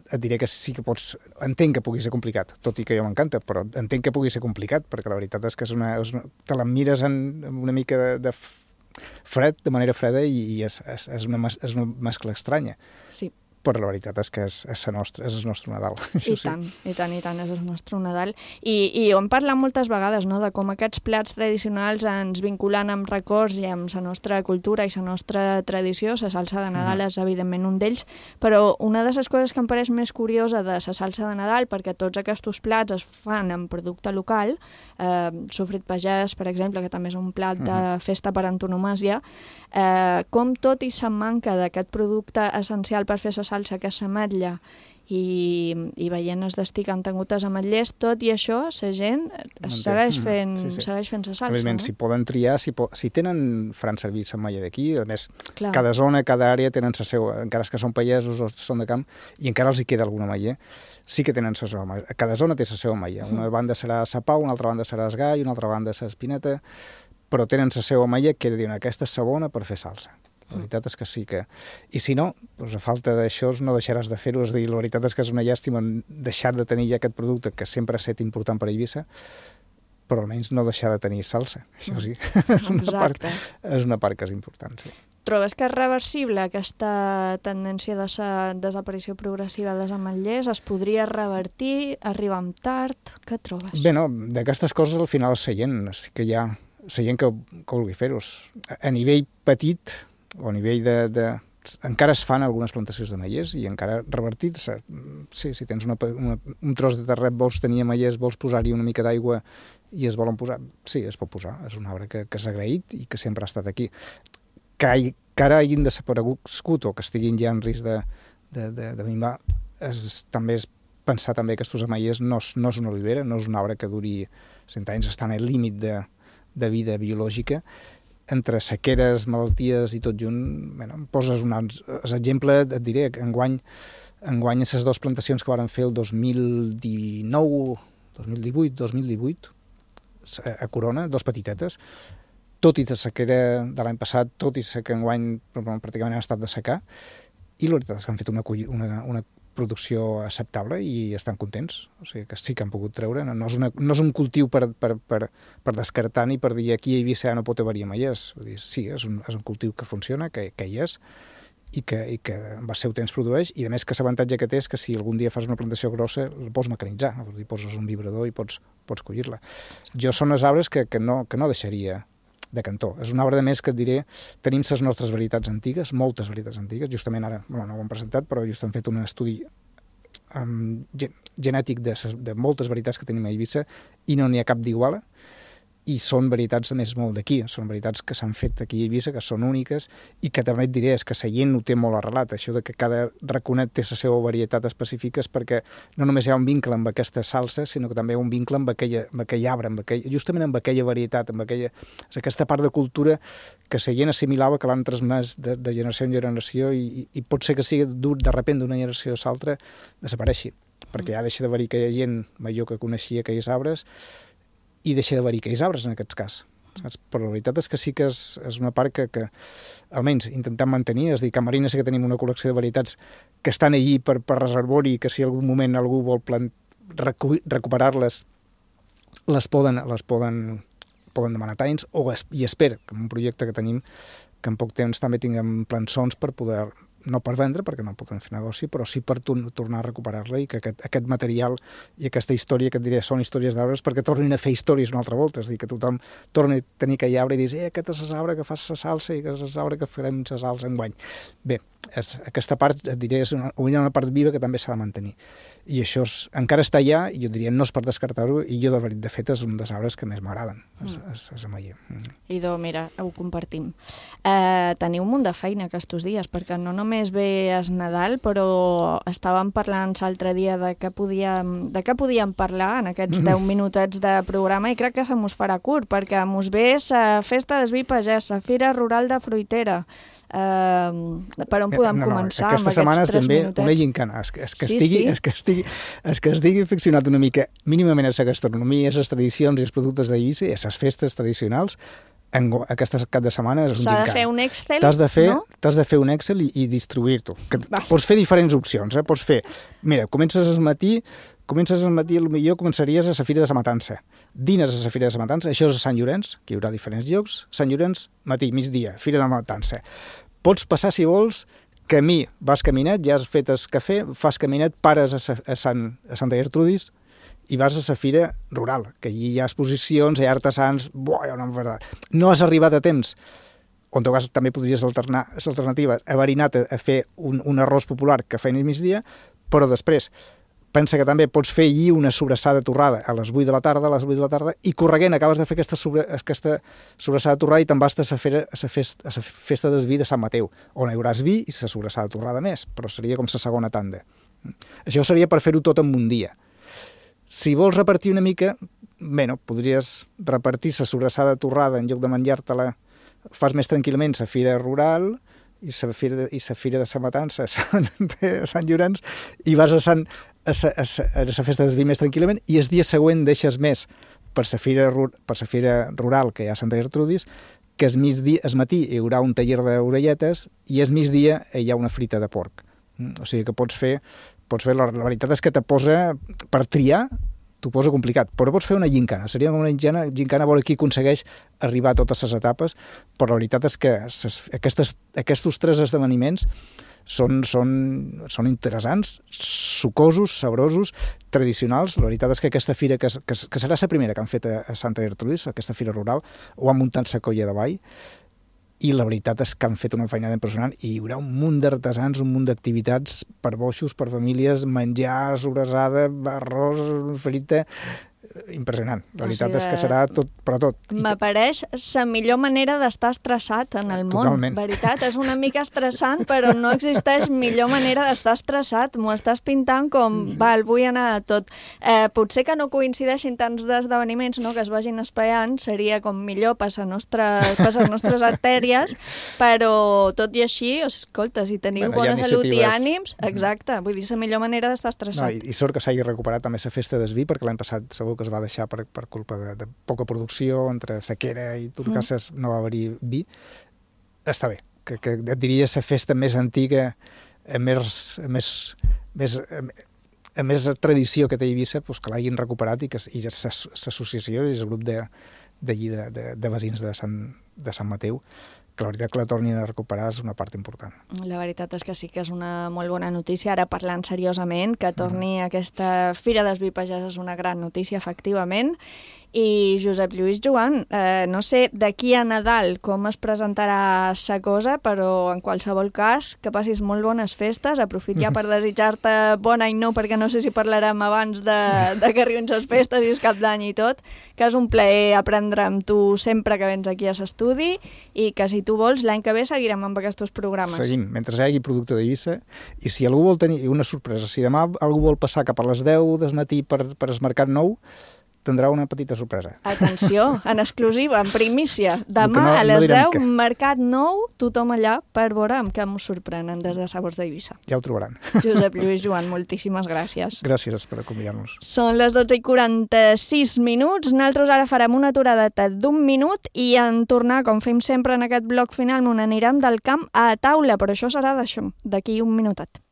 et diré que sí que pots... Entenc que pugui ser complicat, tot i que jo m'encanta, però entenc que pugui ser complicat, perquè la veritat és que és una, és una, te la mires en, en una mica de, de fred, de manera freda, i, i és, és, és, una, és una mescla estranya. Sí. Però la veritat és que és, és, el, nostre, és el nostre Nadal. I tant, sí. i tant, i tant, és el nostre Nadal. I, i ho hem parlat moltes vegades, no?, de com aquests plats tradicionals ens vinculen amb records i amb la nostra cultura i la nostra tradició. La salsa de Nadal mm. és, evidentment, un d'ells, però una de les coses que em pareix més curiosa de la salsa de Nadal, perquè tots aquests plats es fan en producte local, eh, sofrit pagès, per exemple, que també és un plat de festa per antonomàsia, eh, com tot i la manca d'aquest producte essencial per fer la salsa, que és l'ametlla, i, i veient es destí que han tingut els ametllers, tot i això, la gent es segueix fent, sí, sí. segueix fent la salsa. Evidentment, no? si poden triar, si, po si tenen faran servir l'ametlla d'aquí, a més, Clar. cada zona, cada àrea tenen la seva, encara que són pagesos o són de camp, i encara els hi queda alguna ametller, sí que tenen la seva ametlla. Cada zona té la seva ametlla. Una banda serà la pau, una altra banda serà el gai, una altra banda l'espineta, però tenen la seva ametlla que diuen aquesta és la bona per fer salsa. La veritat és que sí que... I si no, doncs a falta d'això no deixaràs de fer-ho. És a dir, la veritat és que és una llàstima deixar de tenir ja aquest producte que sempre ha estat important per a Eivissa, però almenys no deixar de tenir salsa. Això sí, és una, part, és una part que és important, sí. Trobes que és reversible aquesta tendència de sa desaparició progressiva dels ametllers? Es podria revertir? Arribar amb tard? Què trobes? Bé, no, d'aquestes coses al final és la gent, sí que hi ha la gent que, que vulgui fer-ho. A nivell petit, o a nivell de, de... encara es fan algunes plantacions d'ametllers i encara revertir-se. Sí, si tens una, una, un tros de terret, vols tenir ametllers, vols posar-hi una mica d'aigua i es volen posar, sí, es pot posar. És un arbre que, que s'ha agraït i que sempre ha estat aquí. Que, hi, que ara hagin desaparegut o que estiguin ja en risc de, de, de, de minvar, és, també és pensar també que aquests ametllers no, no és una olivera, no és un arbre que duri cent anys, estan al límit de, de vida biològica. Entre sequeres, malalties i tot junt, bueno, em poses un exemple, et diré, enguany, enguany aquestes dues plantacions que varen fer el dos mil dinou, dos mil divuit, dos mil divuit, a Corona, dos petitetes, tot i la sequera de l'any passat, tot i que enguany pràcticament han estat de secar, i la veritat és que han fet una, una, una producció acceptable i estan contents. O sigui que sí que han pogut treure. No, no, és, una, no és un cultiu per, per, per, per descartar ni per dir aquí a Eivissa no pot haver-hi ametllers. Sí, és un, és un cultiu que funciona, que, que hi és, i que, i que amb el seu temps produeix, i a més que l'avantatge que té és que si algun dia fas una plantació grossa la pots mecanitzar, dir, poses un vibrador i pots, pots collir-la. Jo són els arbres que, que, no, que no deixaria de cantó. És un arbre de més que et diré, tenim les nostres varietats antigues, moltes varietats antigues, justament ara, bueno, no ho hem presentat, però just hem fet un estudi um, genètic de, de moltes varietats que tenim a Eivissa i no n'hi ha cap d'iguala, i són varietats a més molt d'aquí, són varietats que s'han fet aquí a Eivissa, que són úniques, i que també et diré és que la gent ho té molt arrelat, això de que cada raconet té la seva varietat específica, és perquè no només hi ha un vincle amb aquesta salsa, sinó que també hi ha un vincle amb, aquella, amb aquell arbre, amb aquell, justament amb aquella varietat, amb aquella, és aquesta part de cultura que la gent assimilava, que l'han transmès de, de generació en generació, i, i pot ser que sigui dur de repent d'una generació a l'altra desapareixi, perquè ja deixa d'haver-hi aquella gent major que coneixia aquells arbres, i deixa d'haver-hi aquells arbres en aquest cas. Saps? Però la veritat és que sí que és, és una part que, que almenys intentem mantenir. És a dir, que a Marina sí que tenim una col·lecció de varietats que estan allí per, per reservori, i que si en algun moment algú vol plant, recu recuperar-les, les poden, les poden, poden demanar talls, o es, i espero que en un projecte que tenim, que en poc temps també tinguem plançons per poder, no per vendre, perquè no podem fer negoci, però sí per tor tornar a recuperar-la, i que aquest, aquest material i aquesta història, que et diré, són històries d'arbres, perquè tornin a fer històries una altra volta, és a dir, que tothom torni a tenir aquell arbre i dir, eh, aquest és l'arbre que fas la salsa i aquest és l'arbre que farem la salsa enguany. Bé, és, aquesta part, et diré, és una, una part viva que també s'ha de mantenir. I això és, encara està allà, i jo diria, no és per descartar-ho, i jo, de, de fet, és un dels arbres que més m'agraden, és, és, és ametller. Mm. Idò, mira, ho compartim. Eh, teniu un munt de feina aquests dies, perquè no només ve es Nadal, però estàvem parlant l'altre dia de què podíem, de què podíem parlar en aquests deu minutets de programa, i crec que se mos farà curt, perquè mos ve la festa del vi pagès, la Fira Rural de Fruitera. Uh, per on podem no, no, començar amb aquests setmana tres ben minutets? Una gincana, és, és, que sí, estigui, sí. És, que estigui, és que estigui aficionat una mica mínimament a la gastronomia, a les tradicions i els productes d'Eivissa, i a les festes tradicionals. En, aquesta cap de setmana és un gincana. S'ha de fer un Excel, t'has de fer, no? T'has de fer un Excel i, i distribuir-t'ho. Pots fer diferents opcions, eh? Pots fer, mira, comences al matí, comences al matí, potser començaries a la Fira de la Matança. Dines a la Fira de la Matança, això és a Sant Llorenç, que hi haurà diferents llocs. Sant Llorenç, matí, migdia, Fira de la Matança. Pots passar, si vols, camí, vas caminat, ja has fet el cafè, fas caminat, pares a, a, Sant, a Santa Gertrudis i vas a la Fira Rural, que allí hi ha exposicions, hi ha artesans, buah, no, no has arribat a temps, on tot cas també podries alternar les alternatives, haver anat a, a fer un, un arròs popular que feien a migdia, però després pensa que també pots fer allí una sobrassada torrada a les vuit de la tarda, a les vuit de la tarda, i correguent acabes de fer aquesta, sobre, aquesta sobrassada torrada i te'n vas a la, fera, a, la festa, a la festa del vi de Sant Mateu, on hi hauràs vi i la sobrassada torrada més, però seria com la segona tanda. Això seria per fer-ho tot en un dia. Si vols repartir una mica, bé, no, podries repartir la sobrassada torrada en lloc de menjar-te-la, fas més tranquil·lament la fira rural i la fira, i la fira de la matança a Sant, a Sant Llorenç i vas a, Sant, a, sa, a, sa, a la festa del vi més tranquil·lament i el dia següent deixes més per la fira, per la fira rural que hi ha a Santa Gertrudis, que el migdia, el matí hi haurà un taller d'orelletes i el migdia hi ha una frita de porc. O sigui que pots fer, pots fer la, la veritat és que te posa, per triar, t'ho posa complicat, però pots fer una gincana. Seria una gincana, gincana a veure qui aconsegueix arribar a totes les etapes, però la veritat és que ses, aquestes, aquests tres esdeveniments són, són, són interessants, sucosos, sabrosos, tradicionals. La veritat és que aquesta fira, que, que, que serà la primera que han fet a, a Santa Gertrudis, aquesta fira rural, ho han muntat la Colla de Vall, i la veritat és que han fet una feinada impressionant i hi haurà un munt d'artesans, un munt d'activitats per boixos, per famílies, menjar, sobrassada, arròs, frita... Impressionant. La veritat o sigui, és que serà tot per a tot. M'apareix la millor manera d'estar estressat en el món. Totalment. Veritat, és una mica estressant, però no existeix millor manera d'estar estressat. M'ho estàs pintant com, val, vull anar a tot. Eh, potser que no coincideixin tants d'esdeveniments, no?, que es vagin espaiant, seria com millor per les nostres, per les nostres artèries, però tot i així, escolta, si teniu bueno, bona salut i ànims, exacte, vull dir, la millor manera d'estar estressat. No, i, i sort que s'hagi recuperat també la festa del vi, perquè l'any passat segur que es va deixar per, per culpa de, de poca producció, entre sequera i turcasses mm. no va haver-hi vi. Està bé, que, que et diria la festa més antiga, més, més, més, més tradició que té Eivissa, pues, que l'hagin recuperat i que i l'associació i el grup de, de, de, de, de veïns de Sant, de Sant Mateu, que la veritat que la tornin a recuperar és una part important. La veritat és que sí que és una molt bona notícia. Ara parlant seriosament, que torni mm. aquesta Fira dels Vi Pagès és una gran notícia, efectivament. I Josep Lluís Joan, eh, no sé d'aquí a Nadal com es presentarà sa cosa, però en qualsevol cas que passis molt bones festes. Aprofit ja per desitjar-te bon any nou, perquè no sé si parlarem abans de, de que arribin les festes i el cap d'any i tot, que és un plaer aprendre amb tu sempre que vens aquí a l'estudi i que si tu vols l'any que ve seguirem amb aquests programes. Seguim, mentre hi hagi producte d'Eivissa, i si algú vol tenir una sorpresa, si demà algú vol passar cap a les deu del matí per, per el Mercat Nou, tindrà una petita sorpresa. Atenció, en exclusiva, en primícia. Demà no, a les no deu, que... Mercat Nou, tothom allà per veure amb què ens sorprenen des de Sabors d'Eivissa. Ja ho trobaran. Josep Lluís Joan, moltíssimes gràcies. Gràcies per convidar-nos. Són les dotze i quaranta-sis minuts. Nosaltres ara farem una aturada d'un minut i en tornar, com fem sempre en aquest bloc final, on anirem del camp a taula, però això serà d'això, d'aquí un minutet.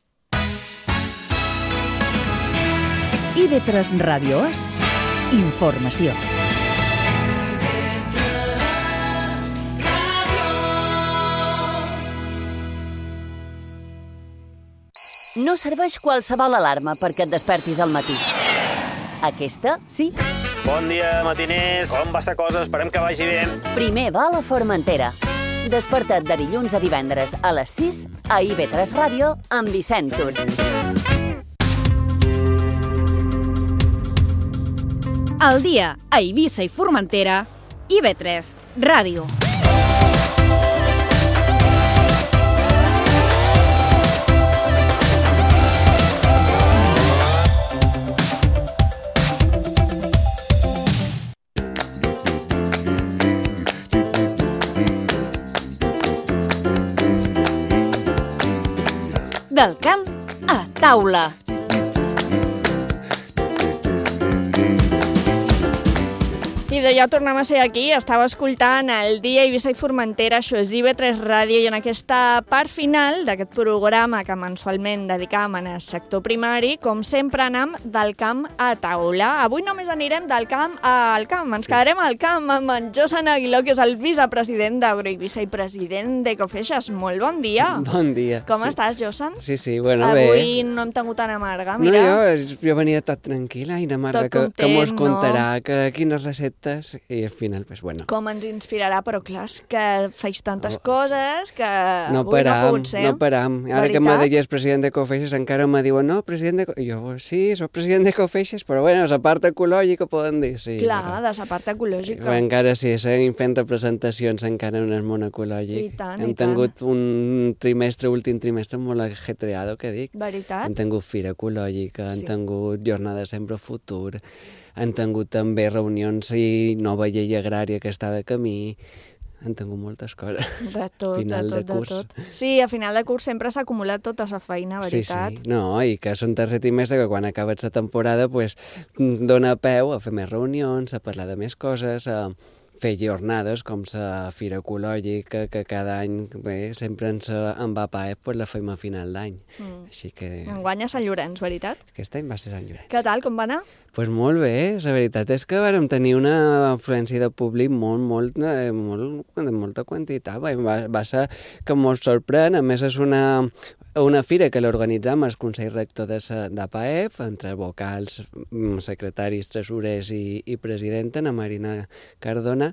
I ve tres Ràdio És informació. No serveix qualsevol alarma perquè et despertis al matí. Aquesta, sí. Bon dia, matiners. Com va sa cosa? Esperem que vagi bé. Primer va a la Formentera. Desperta't de dilluns a divendres a les sis a I V tres Ràdio amb Vicent Tur. Al dia a Eivissa i Formentera, I V tres Ràdio. Del camp a taula. I de ja tornem a ser aquí, estava escoltant el dia Eivissa i Formentera, això és I V tres Ràdio, i en aquesta part final d'aquest programa que mensualment dedicam al sector primari, com sempre anem del camp a taula. Avui només anirem del camp al camp, ens quedarem al camp amb en Josan Aguiló, que és el vicepresident d'Agroeivissa i president d'Ecofeixes. Molt bon dia. Bon dia. Com sí. estàs, Josan? Sí, sí, bueno, Avui bé. Avui no hem tingut tan amarga, mira. No, jo, jo venia tot tranquil·la, i la Marta, que, que mos contarà, no? Que quines receptes tantes, i al final, pues, bueno. Com ens inspirarà, però clar, és que feis tantes coses que no avui param, no ha pogut ser. No param. Ara Veritat? que me deies president de Cofeixes, encara me diuen, no, president de... I jo, sí, soc president de Cofeixes, però bueno, la part ecològica poden dir, sí. Clar, però... de la part ecològica. Però encara sí, seguim fent representacions encara en el món ecològic. I tant, Hem i tant. tingut un trimestre, últim trimestre molt ajetreado, que dic. Veritat? Hem tingut fira ecològica, Sí. hem tingut jornada sempre futur, han tingut també reunions i nova llei agrària que està de camí, han tingut moltes coses. De tot, final de tot, de curs. de tot. Sí, a final de curs sempre s'ha acumulat tota la feina, veritat? Sí, sí. No, i que és un tercer trimestre que quan acabes la temporada pues, dona peu a fer més reunions, a parlar de més coses, a fer jornades com la Fira Ecològica, que cada any bé, sempre ens en va a Paep, pues, la fem a final d'any. Mm. Així que Enguany a Sant Llorenç, veritat? aquest any va ser Sant Llorenç. Què tal, com va anar? Pues molt bé, la veritat és que vàrem tenir una afluència de públic molt, molt, eh, molt, de molta quantitat. Va, va ser que molt sorprèn, a més és una, una fira que l'organitzam el Consell Rector de, de Paep, entre vocals, secretaris, tresorers i, i presidenta, na Marina Cardona,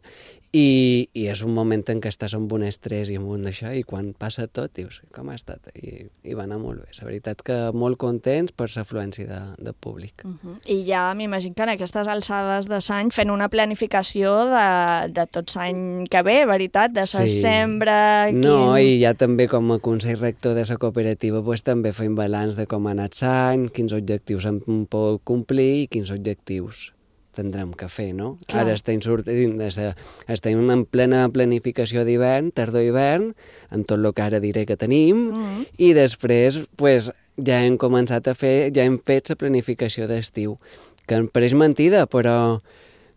i, i és un moment en què estàs amb un estrès i amb un d'això, i quan passa tot dius, com ha estat? I, i va anar molt bé. La veritat que molt contents per l'afluència de, de públic. Uh -huh. I ja m'imagino que en aquestes alçades de l'any fent una planificació de, de tot l'any que ve, veritat? De la Sí. sembra... Quin... No, i ja també com a Consell Rector de la cooperativa pues, també fem balanç de com ha anat l'any, quins objectius hem pogut complir i quins objectius tindrem que fer, no? Clar. Ara estem, sortint de sa, estem en plena planificació d'hivern, tardor-hivern, amb tot el que ara diré que tenim, Mm. i després pues, ja hem començat a fer, ja hem fet la planificació d'estiu, que em pareix mentida, però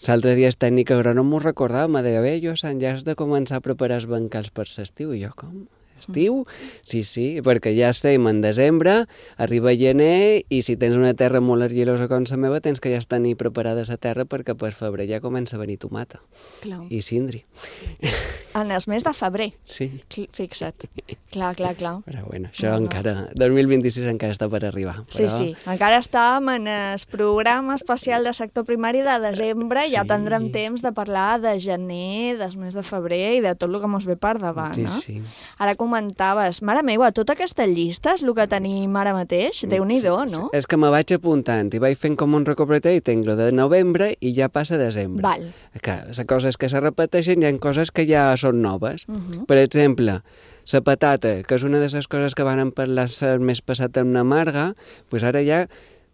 l'altre dia el tècnic agrònom m'ho recordava, me deia, bé, jo Sant ja has de començar a preparar els bancals per l'estiu, i jo, com? Estiu? Sí, sí, perquè ja estem en desembre, arriba gener, i si tens una terra molt argilosa com la meva, tens que ja tenir preparada la terra perquè per febrer ja comença a venir tomata. Clar. I cindri. En el mes de febrer. Sí. Fixa't. Clar, clar, clar. Però bueno, això No, no. encara, dos mil vint-i-sis encara està per arribar. Però... Sí, sí. Encara estàvem en el programa especial de sector primari de desembre, sí. Ja tindrem temps de parlar de gener, del mes de febrer i de tot el que mos ve per davant, Sí, no? sí. Ara comentaves, mare meva, tota aquesta llista és el que tenim ara mateix? Déu-n'hi-do, no? És que me vaig apuntant i vaig fent com un recopilatori i tinc lo de novembre i ja passa desembre. Val. Que les coses que se repeteixen hi ha coses que ja són noves. Uh -huh. Per exemple, la patata, que és una de les coses que van parlar el mes passat amb la Marga, doncs ara ja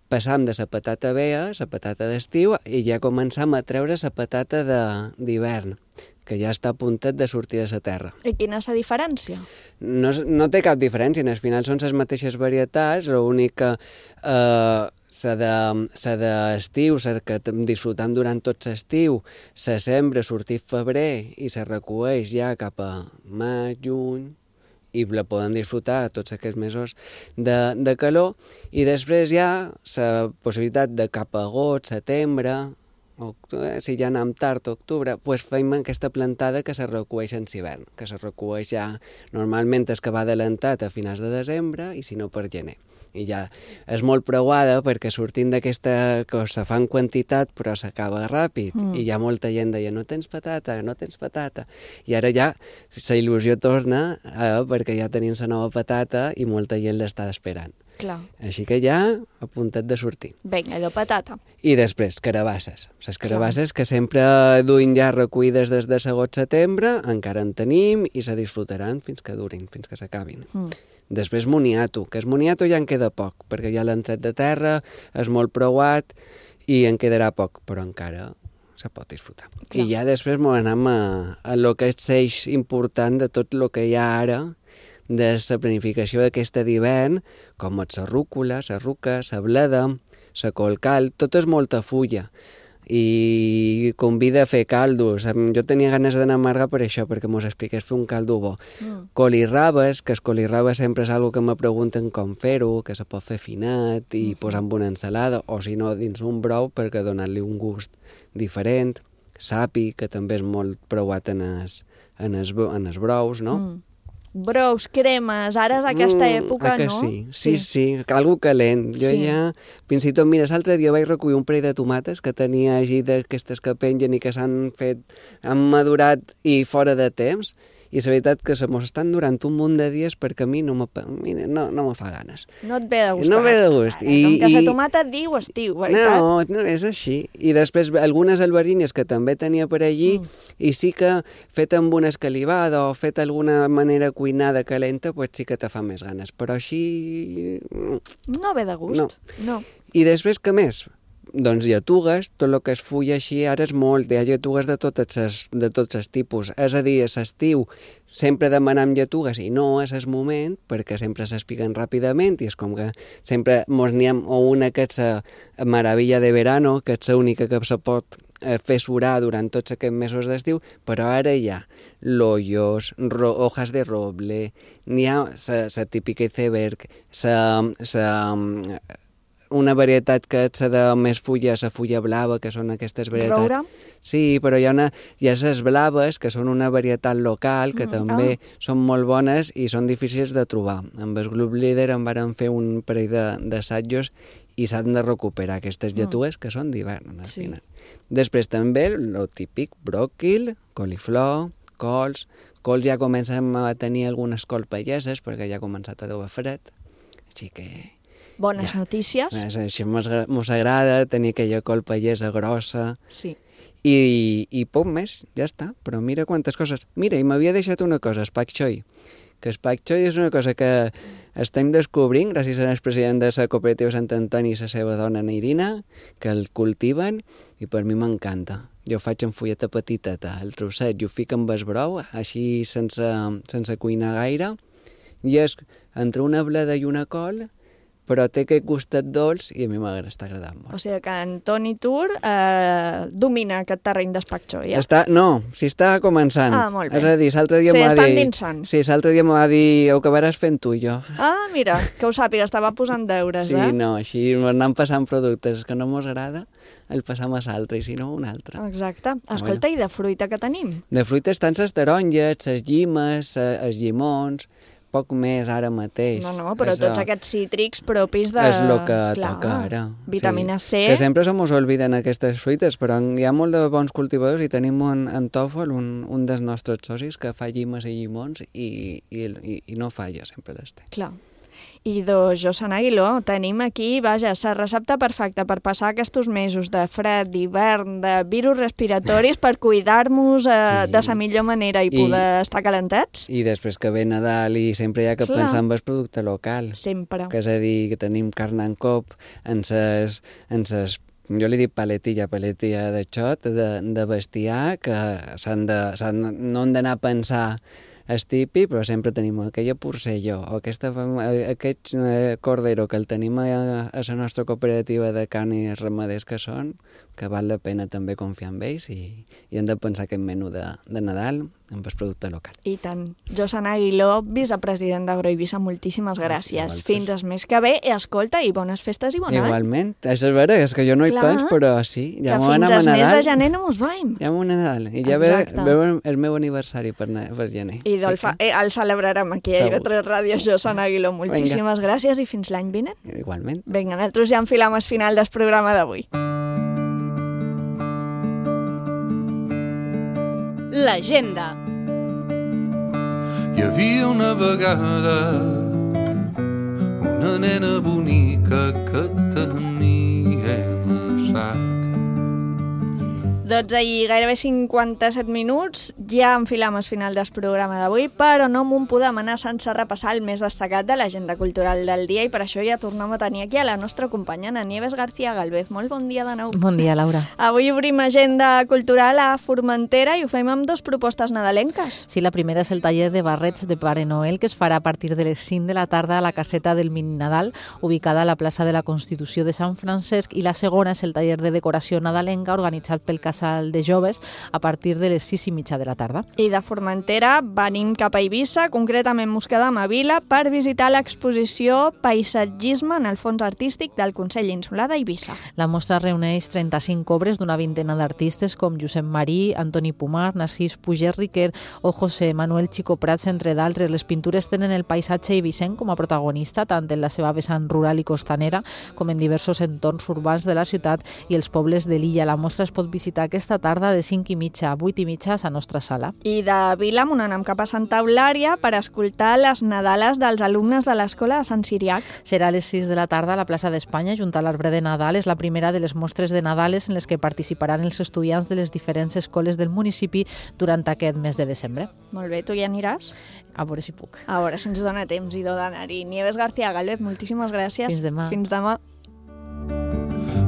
passam de la patata vea, la patata d'estiu, i ja començam a treure la patata de- d'hivern, que ja està a puntet de sortir de la terra. I quina és la diferència? No, és- no té cap diferència, al final són les mateixes varietats, l'únic que eh, la de, la d'estiu, la que t- disfrutam durant tot l'estiu, se sembra a sortir febrer i se recueix ja cap a maig, juny, i la poden disfrutar tots aquests mesos de, de calor, i després hi ha la possibilitat de cap a agost, setembre, octubre, si ja anem tard, octubre, doncs fem aquesta plantada que se recueix en hivern, que se recueix ja normalment és que va adelantat a finals de desembre i si no per gener. I ja és molt preuada perquè sortint d'aquesta cosa fan quantitat però s'acaba ràpid Mm. i hi ha molta gent deia no tens patata, no tens patata, i ara ja la il·lusió torna eh, perquè ja tenim la nova patata i molta gent l'està esperant. Clar. Així que ja a puntet de sortir. Vinga, de patata. I després, carabasses. Les carabasses que sempre duim ja recollides des de l'agost-setembre, encara en tenim i se disfrutaran fins que durin, fins que s'acabin. Mm. Després moniato, que és moniato ja en queda poc, perquè ja l'han tret de terra, és molt preuat i en quedarà poc, però encara se pot disfrutar. Clar. I ja després m'ho anem a, a lo que és eix important de tot el que hi ha ara, de la planificació d'aquesta d'hivern, com és la rúcula, la ruca, la bleda, la colcal, tot és molta fulla i convida a fer caldos. Jo tenia ganes d'anar a Marga per això, perquè mos expliqués fer un caldo bo. Mm. Colirrabes, que el colirraba sempre és algo que me pregunten com fer-ho, que se pot fer finat i posar amb una ensalada, o si no dins un brou perquè donar-li un gust diferent. Sapi, que també és molt preuat en els, en els, en els brous, no? Mm. brous, cremes, ara és aquesta època, mm, no? Sí, sí, sí, sí, algo calent. Jo sí. ja, fins i tot, mira, l'altre dia vaig recollir un parell de tomates que tenia així d'aquestes que pengen i que s'han fet, han madurat i fora de temps, i la veritat que se mos estan durant un munt de dies perquè a mi no me, no, no me fa ganes. No et ve de gust. No ve de gust. I, com que la tomata et diu estiu, veritat? No, no, és així. I després algunes albergines que també tenia per allí, mm. i sí que fet amb una escalivada o fet d'alguna manera cuinada calenta, pues sí que te fa més ganes. Però així... No ve de gust. No. no. I després, què més? Doncs lletugues, tot el que es fulla així ara és molt, hi ha lletugues de tots els, de tots els tipus. És a dir, a l'estiu sempre demanem lletugues i no és el moment, perquè sempre s'espiguen ràpidament i és com que sempre mos n'hi ha una que és la meravella de verano, que és l'única que se pot fer surar durant tots aquests mesos d'estiu, però ara hi ha loyos, ro hojas de roble, n'hi ha la típica iceberg, la... una varietat que és de més fulla, la fulla blava, que són aquestes varietats... Roure? Sí, però hi ha, una, hi ha les blaves, que són una varietat local, que mm, també ah. són molt bones i són difícils de trobar. Amb el grup líder en varen fer un parell d'assajos i s'han de recuperar aquestes lletugues, mm. que són d'hivern, al sí. final. Després també el típic bròquil, coliflor, cols... Cols ja comencem a tenir algunes cols pageses, perquè ja ha començat a deure fred, així que... Bones ja. notícies. Així mos agrada tenir aquella col pallesa grossa. Sí. I, i poc més, ja està. Però mira quantes coses. Mira, i m'havia deixat una cosa, el pak choi. Que el pak choi és una cosa que estem descobrint gràcies al president de la cooperativa Sant Antoni i la seva dona Neirina, que el cultiven i per mi m'encanta. Jo faig en fulleta petiteta, el trosset, i ho fico amb el brou, així sense, sense cuinar gaire, i és entre una bleda i una col, però té aquest gustet dolç i a mi m'està agradant molt. O sigui que en Toni Tur eh, domina aquest terreny d'espacxó, ja? Està, no, s'hi està començant. Ah, molt bé. És a dir, l'altre dia sí, m'ha estan dit... dinsant. Sí, l'altre dia m'ha dit, ho acabaràs fent tu, jo. Ah, mira, que ho sàpiga, estava posant deures, sí, eh? Sí, no, així anem passant productes que no mos agrada, el passam a l'altre, i si no, un altre. Exacte. Escolta, bueno. I de fruita que tenim? De fruita estan les taronges, les llimes, els llimons... poc més ara mateix. No, no, però és tots a... aquests cítrics propis de... És el que Clar, toca ara. Vitamina sí. C. Que sempre se mos olviden aquestes fruites, però hi ha molt de bons cultivadors i tenim en, en Tòfol, un, un dels nostres socis, que fa llimes i llimons i, i, i, i no falla, sempre les té. Clar. I doncs, Josan Aguiló, tenim aquí, vaja, la recepta perfecta per passar aquests mesos de fred, d'hivern, de virus respiratoris, per cuidar-nos eh, sí. de la millor manera i poder I, estar calentats. I després que ve Nadal i sempre hi ha que Clar. pensar en el producte local. Sempre. Que és a dir, que tenim carn en cop, en ses, en ses jo li dic paletilla, paletilla de xot, de, de bestiar, que s'han de, s'han, no han d'anar a pensar és típic, però sempre tenim aquella porcelló o aquesta, aquest cordero que el tenim a, a la nostra cooperativa de carn i ramaders que són, que val la pena també confiar en ells i, i hem de pensar aquest menú de, de Nadal amb el producte local. I tant. Josan Aguiló, vicepresident d'Agroeivissa, moltíssimes gràcies. Fins el mes que ve, i escolta, i bones festes i bon any. Igualment. Això és vera, és que jo no hi Clar, penso, però sí. Ja que fins al mes de gener no mos veiem. Ja m'ho Nadal. I ja ve, ve el meu aniversari per, per gener. I sí, fa, eh, el celebrarem aquí a I V tres Ràdio. Josan Aguiló, moltíssimes Vinga. gràcies i fins l'any vinent. Igualment. Vinga, nosaltres ja enfilam el final del programa d'avui. L'agenda. Hi havia una vegada una nena bonica que tenia en un sac. dotze i gairebé cinquanta-set minuts, ja enfilam el final del programa d'avui, però no m'ho podem anar sense repassar el més destacat de l'agenda cultural del dia i per això ja tornem a tenir aquí a la nostra companya, Ana Nieves García Galvez. Molt bon dia de nou. Bon dia, Laura. Avui obrim agenda cultural a Formentera i ho fem amb dues propostes nadalenques. Sí, la primera és el taller de barrets de Pare Noel, que es farà a partir de les cinc de la tarda a la caseta del Mini Nadal, ubicada a la plaça de la Constitució de Sant Francesc, i la segona és el taller de decoració nadalenca organitzat pel Casal sala de joves a partir de les sis i mitja de la tarda. I de Formentera venim cap a Eivissa, concretament Moscada-Mavila, per visitar l'exposició Paisatgisme en el fons artístic del Consell Insular d'Eivissa. La mostra reuneix trenta-cinc obres d'una vintena d'artistes com Josep Marí, Antoni Pomar, Narcís Puget Riquer o José Manuel Chico Prats, entre d'altres. Les pintures tenen el paisatge eivissenc com a protagonista, tant en la seva vessant rural i costanera com en diversos entorns urbans de la ciutat i els pobles de l'illa. La mostra es pot visitar aquesta tarda de cinc i mitja a vuit i mitja a la nostra sala. I de Vilamon anem cap a Santa Eulària per escoltar les Nadales dels alumnes de l'Escola de Sant Siriac. Serà a les sis de la tarda a la plaça d'Espanya, junt a l'arbre de Nadal. És la primera de les mostres de Nadales en les que participaran els estudiants de les diferents escoles del municipi durant aquest mes de desembre. Molt bé, tu hi aniràs? A veure si puc. A veure si ens dona temps i do d'anar-hi. Nieves García Galvez, moltíssimes gràcies. Fins demà. Fins demà.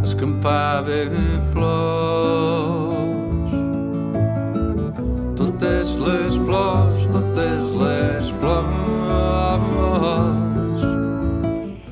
Escampava flors, totes les flors, totes les flors.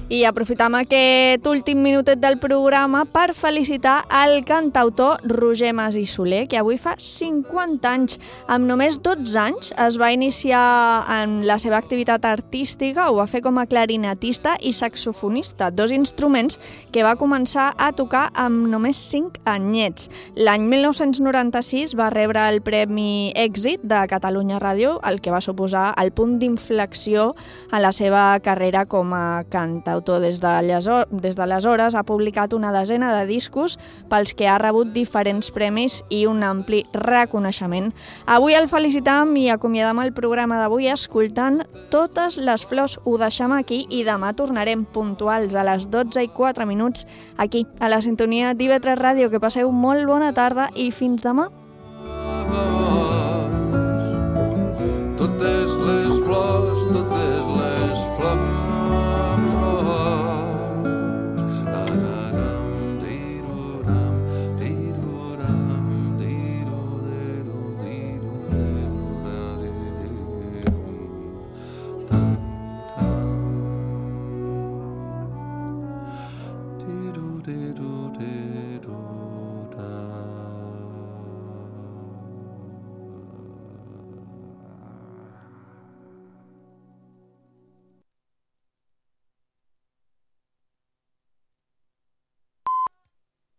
I aprofitam aquest últim minutet del programa per felicitar el cantautor Roger Mas i Soler, que avui fa cinquanta anys. Amb només dotze anys es va iniciar en la seva activitat artística, ho va fer com a clarinetista i saxofonista, dos instruments que va començar a tocar amb només cinc anyets. L'any mil nou-cents noranta-sis va rebre el Premi Èxit de Catalunya Ràdio, el que va suposar el punt d'inflexió a la seva carrera com a cantautor. Des d'aleshores ha publicat una desena de discos pels que ha rebut diferents premis i un ampli reconeixement. Avui el felicitam i acomiadam el programa d'avui escoltant Totes les flors. Ho deixem aquí i demà tornarem puntuals a les dotze i quatre minuts aquí, a la sintonia d'I V tres Ràdio. Que passeu molt bona tarda i fins demà. Totes les flors, totes les flors. Do do do do do.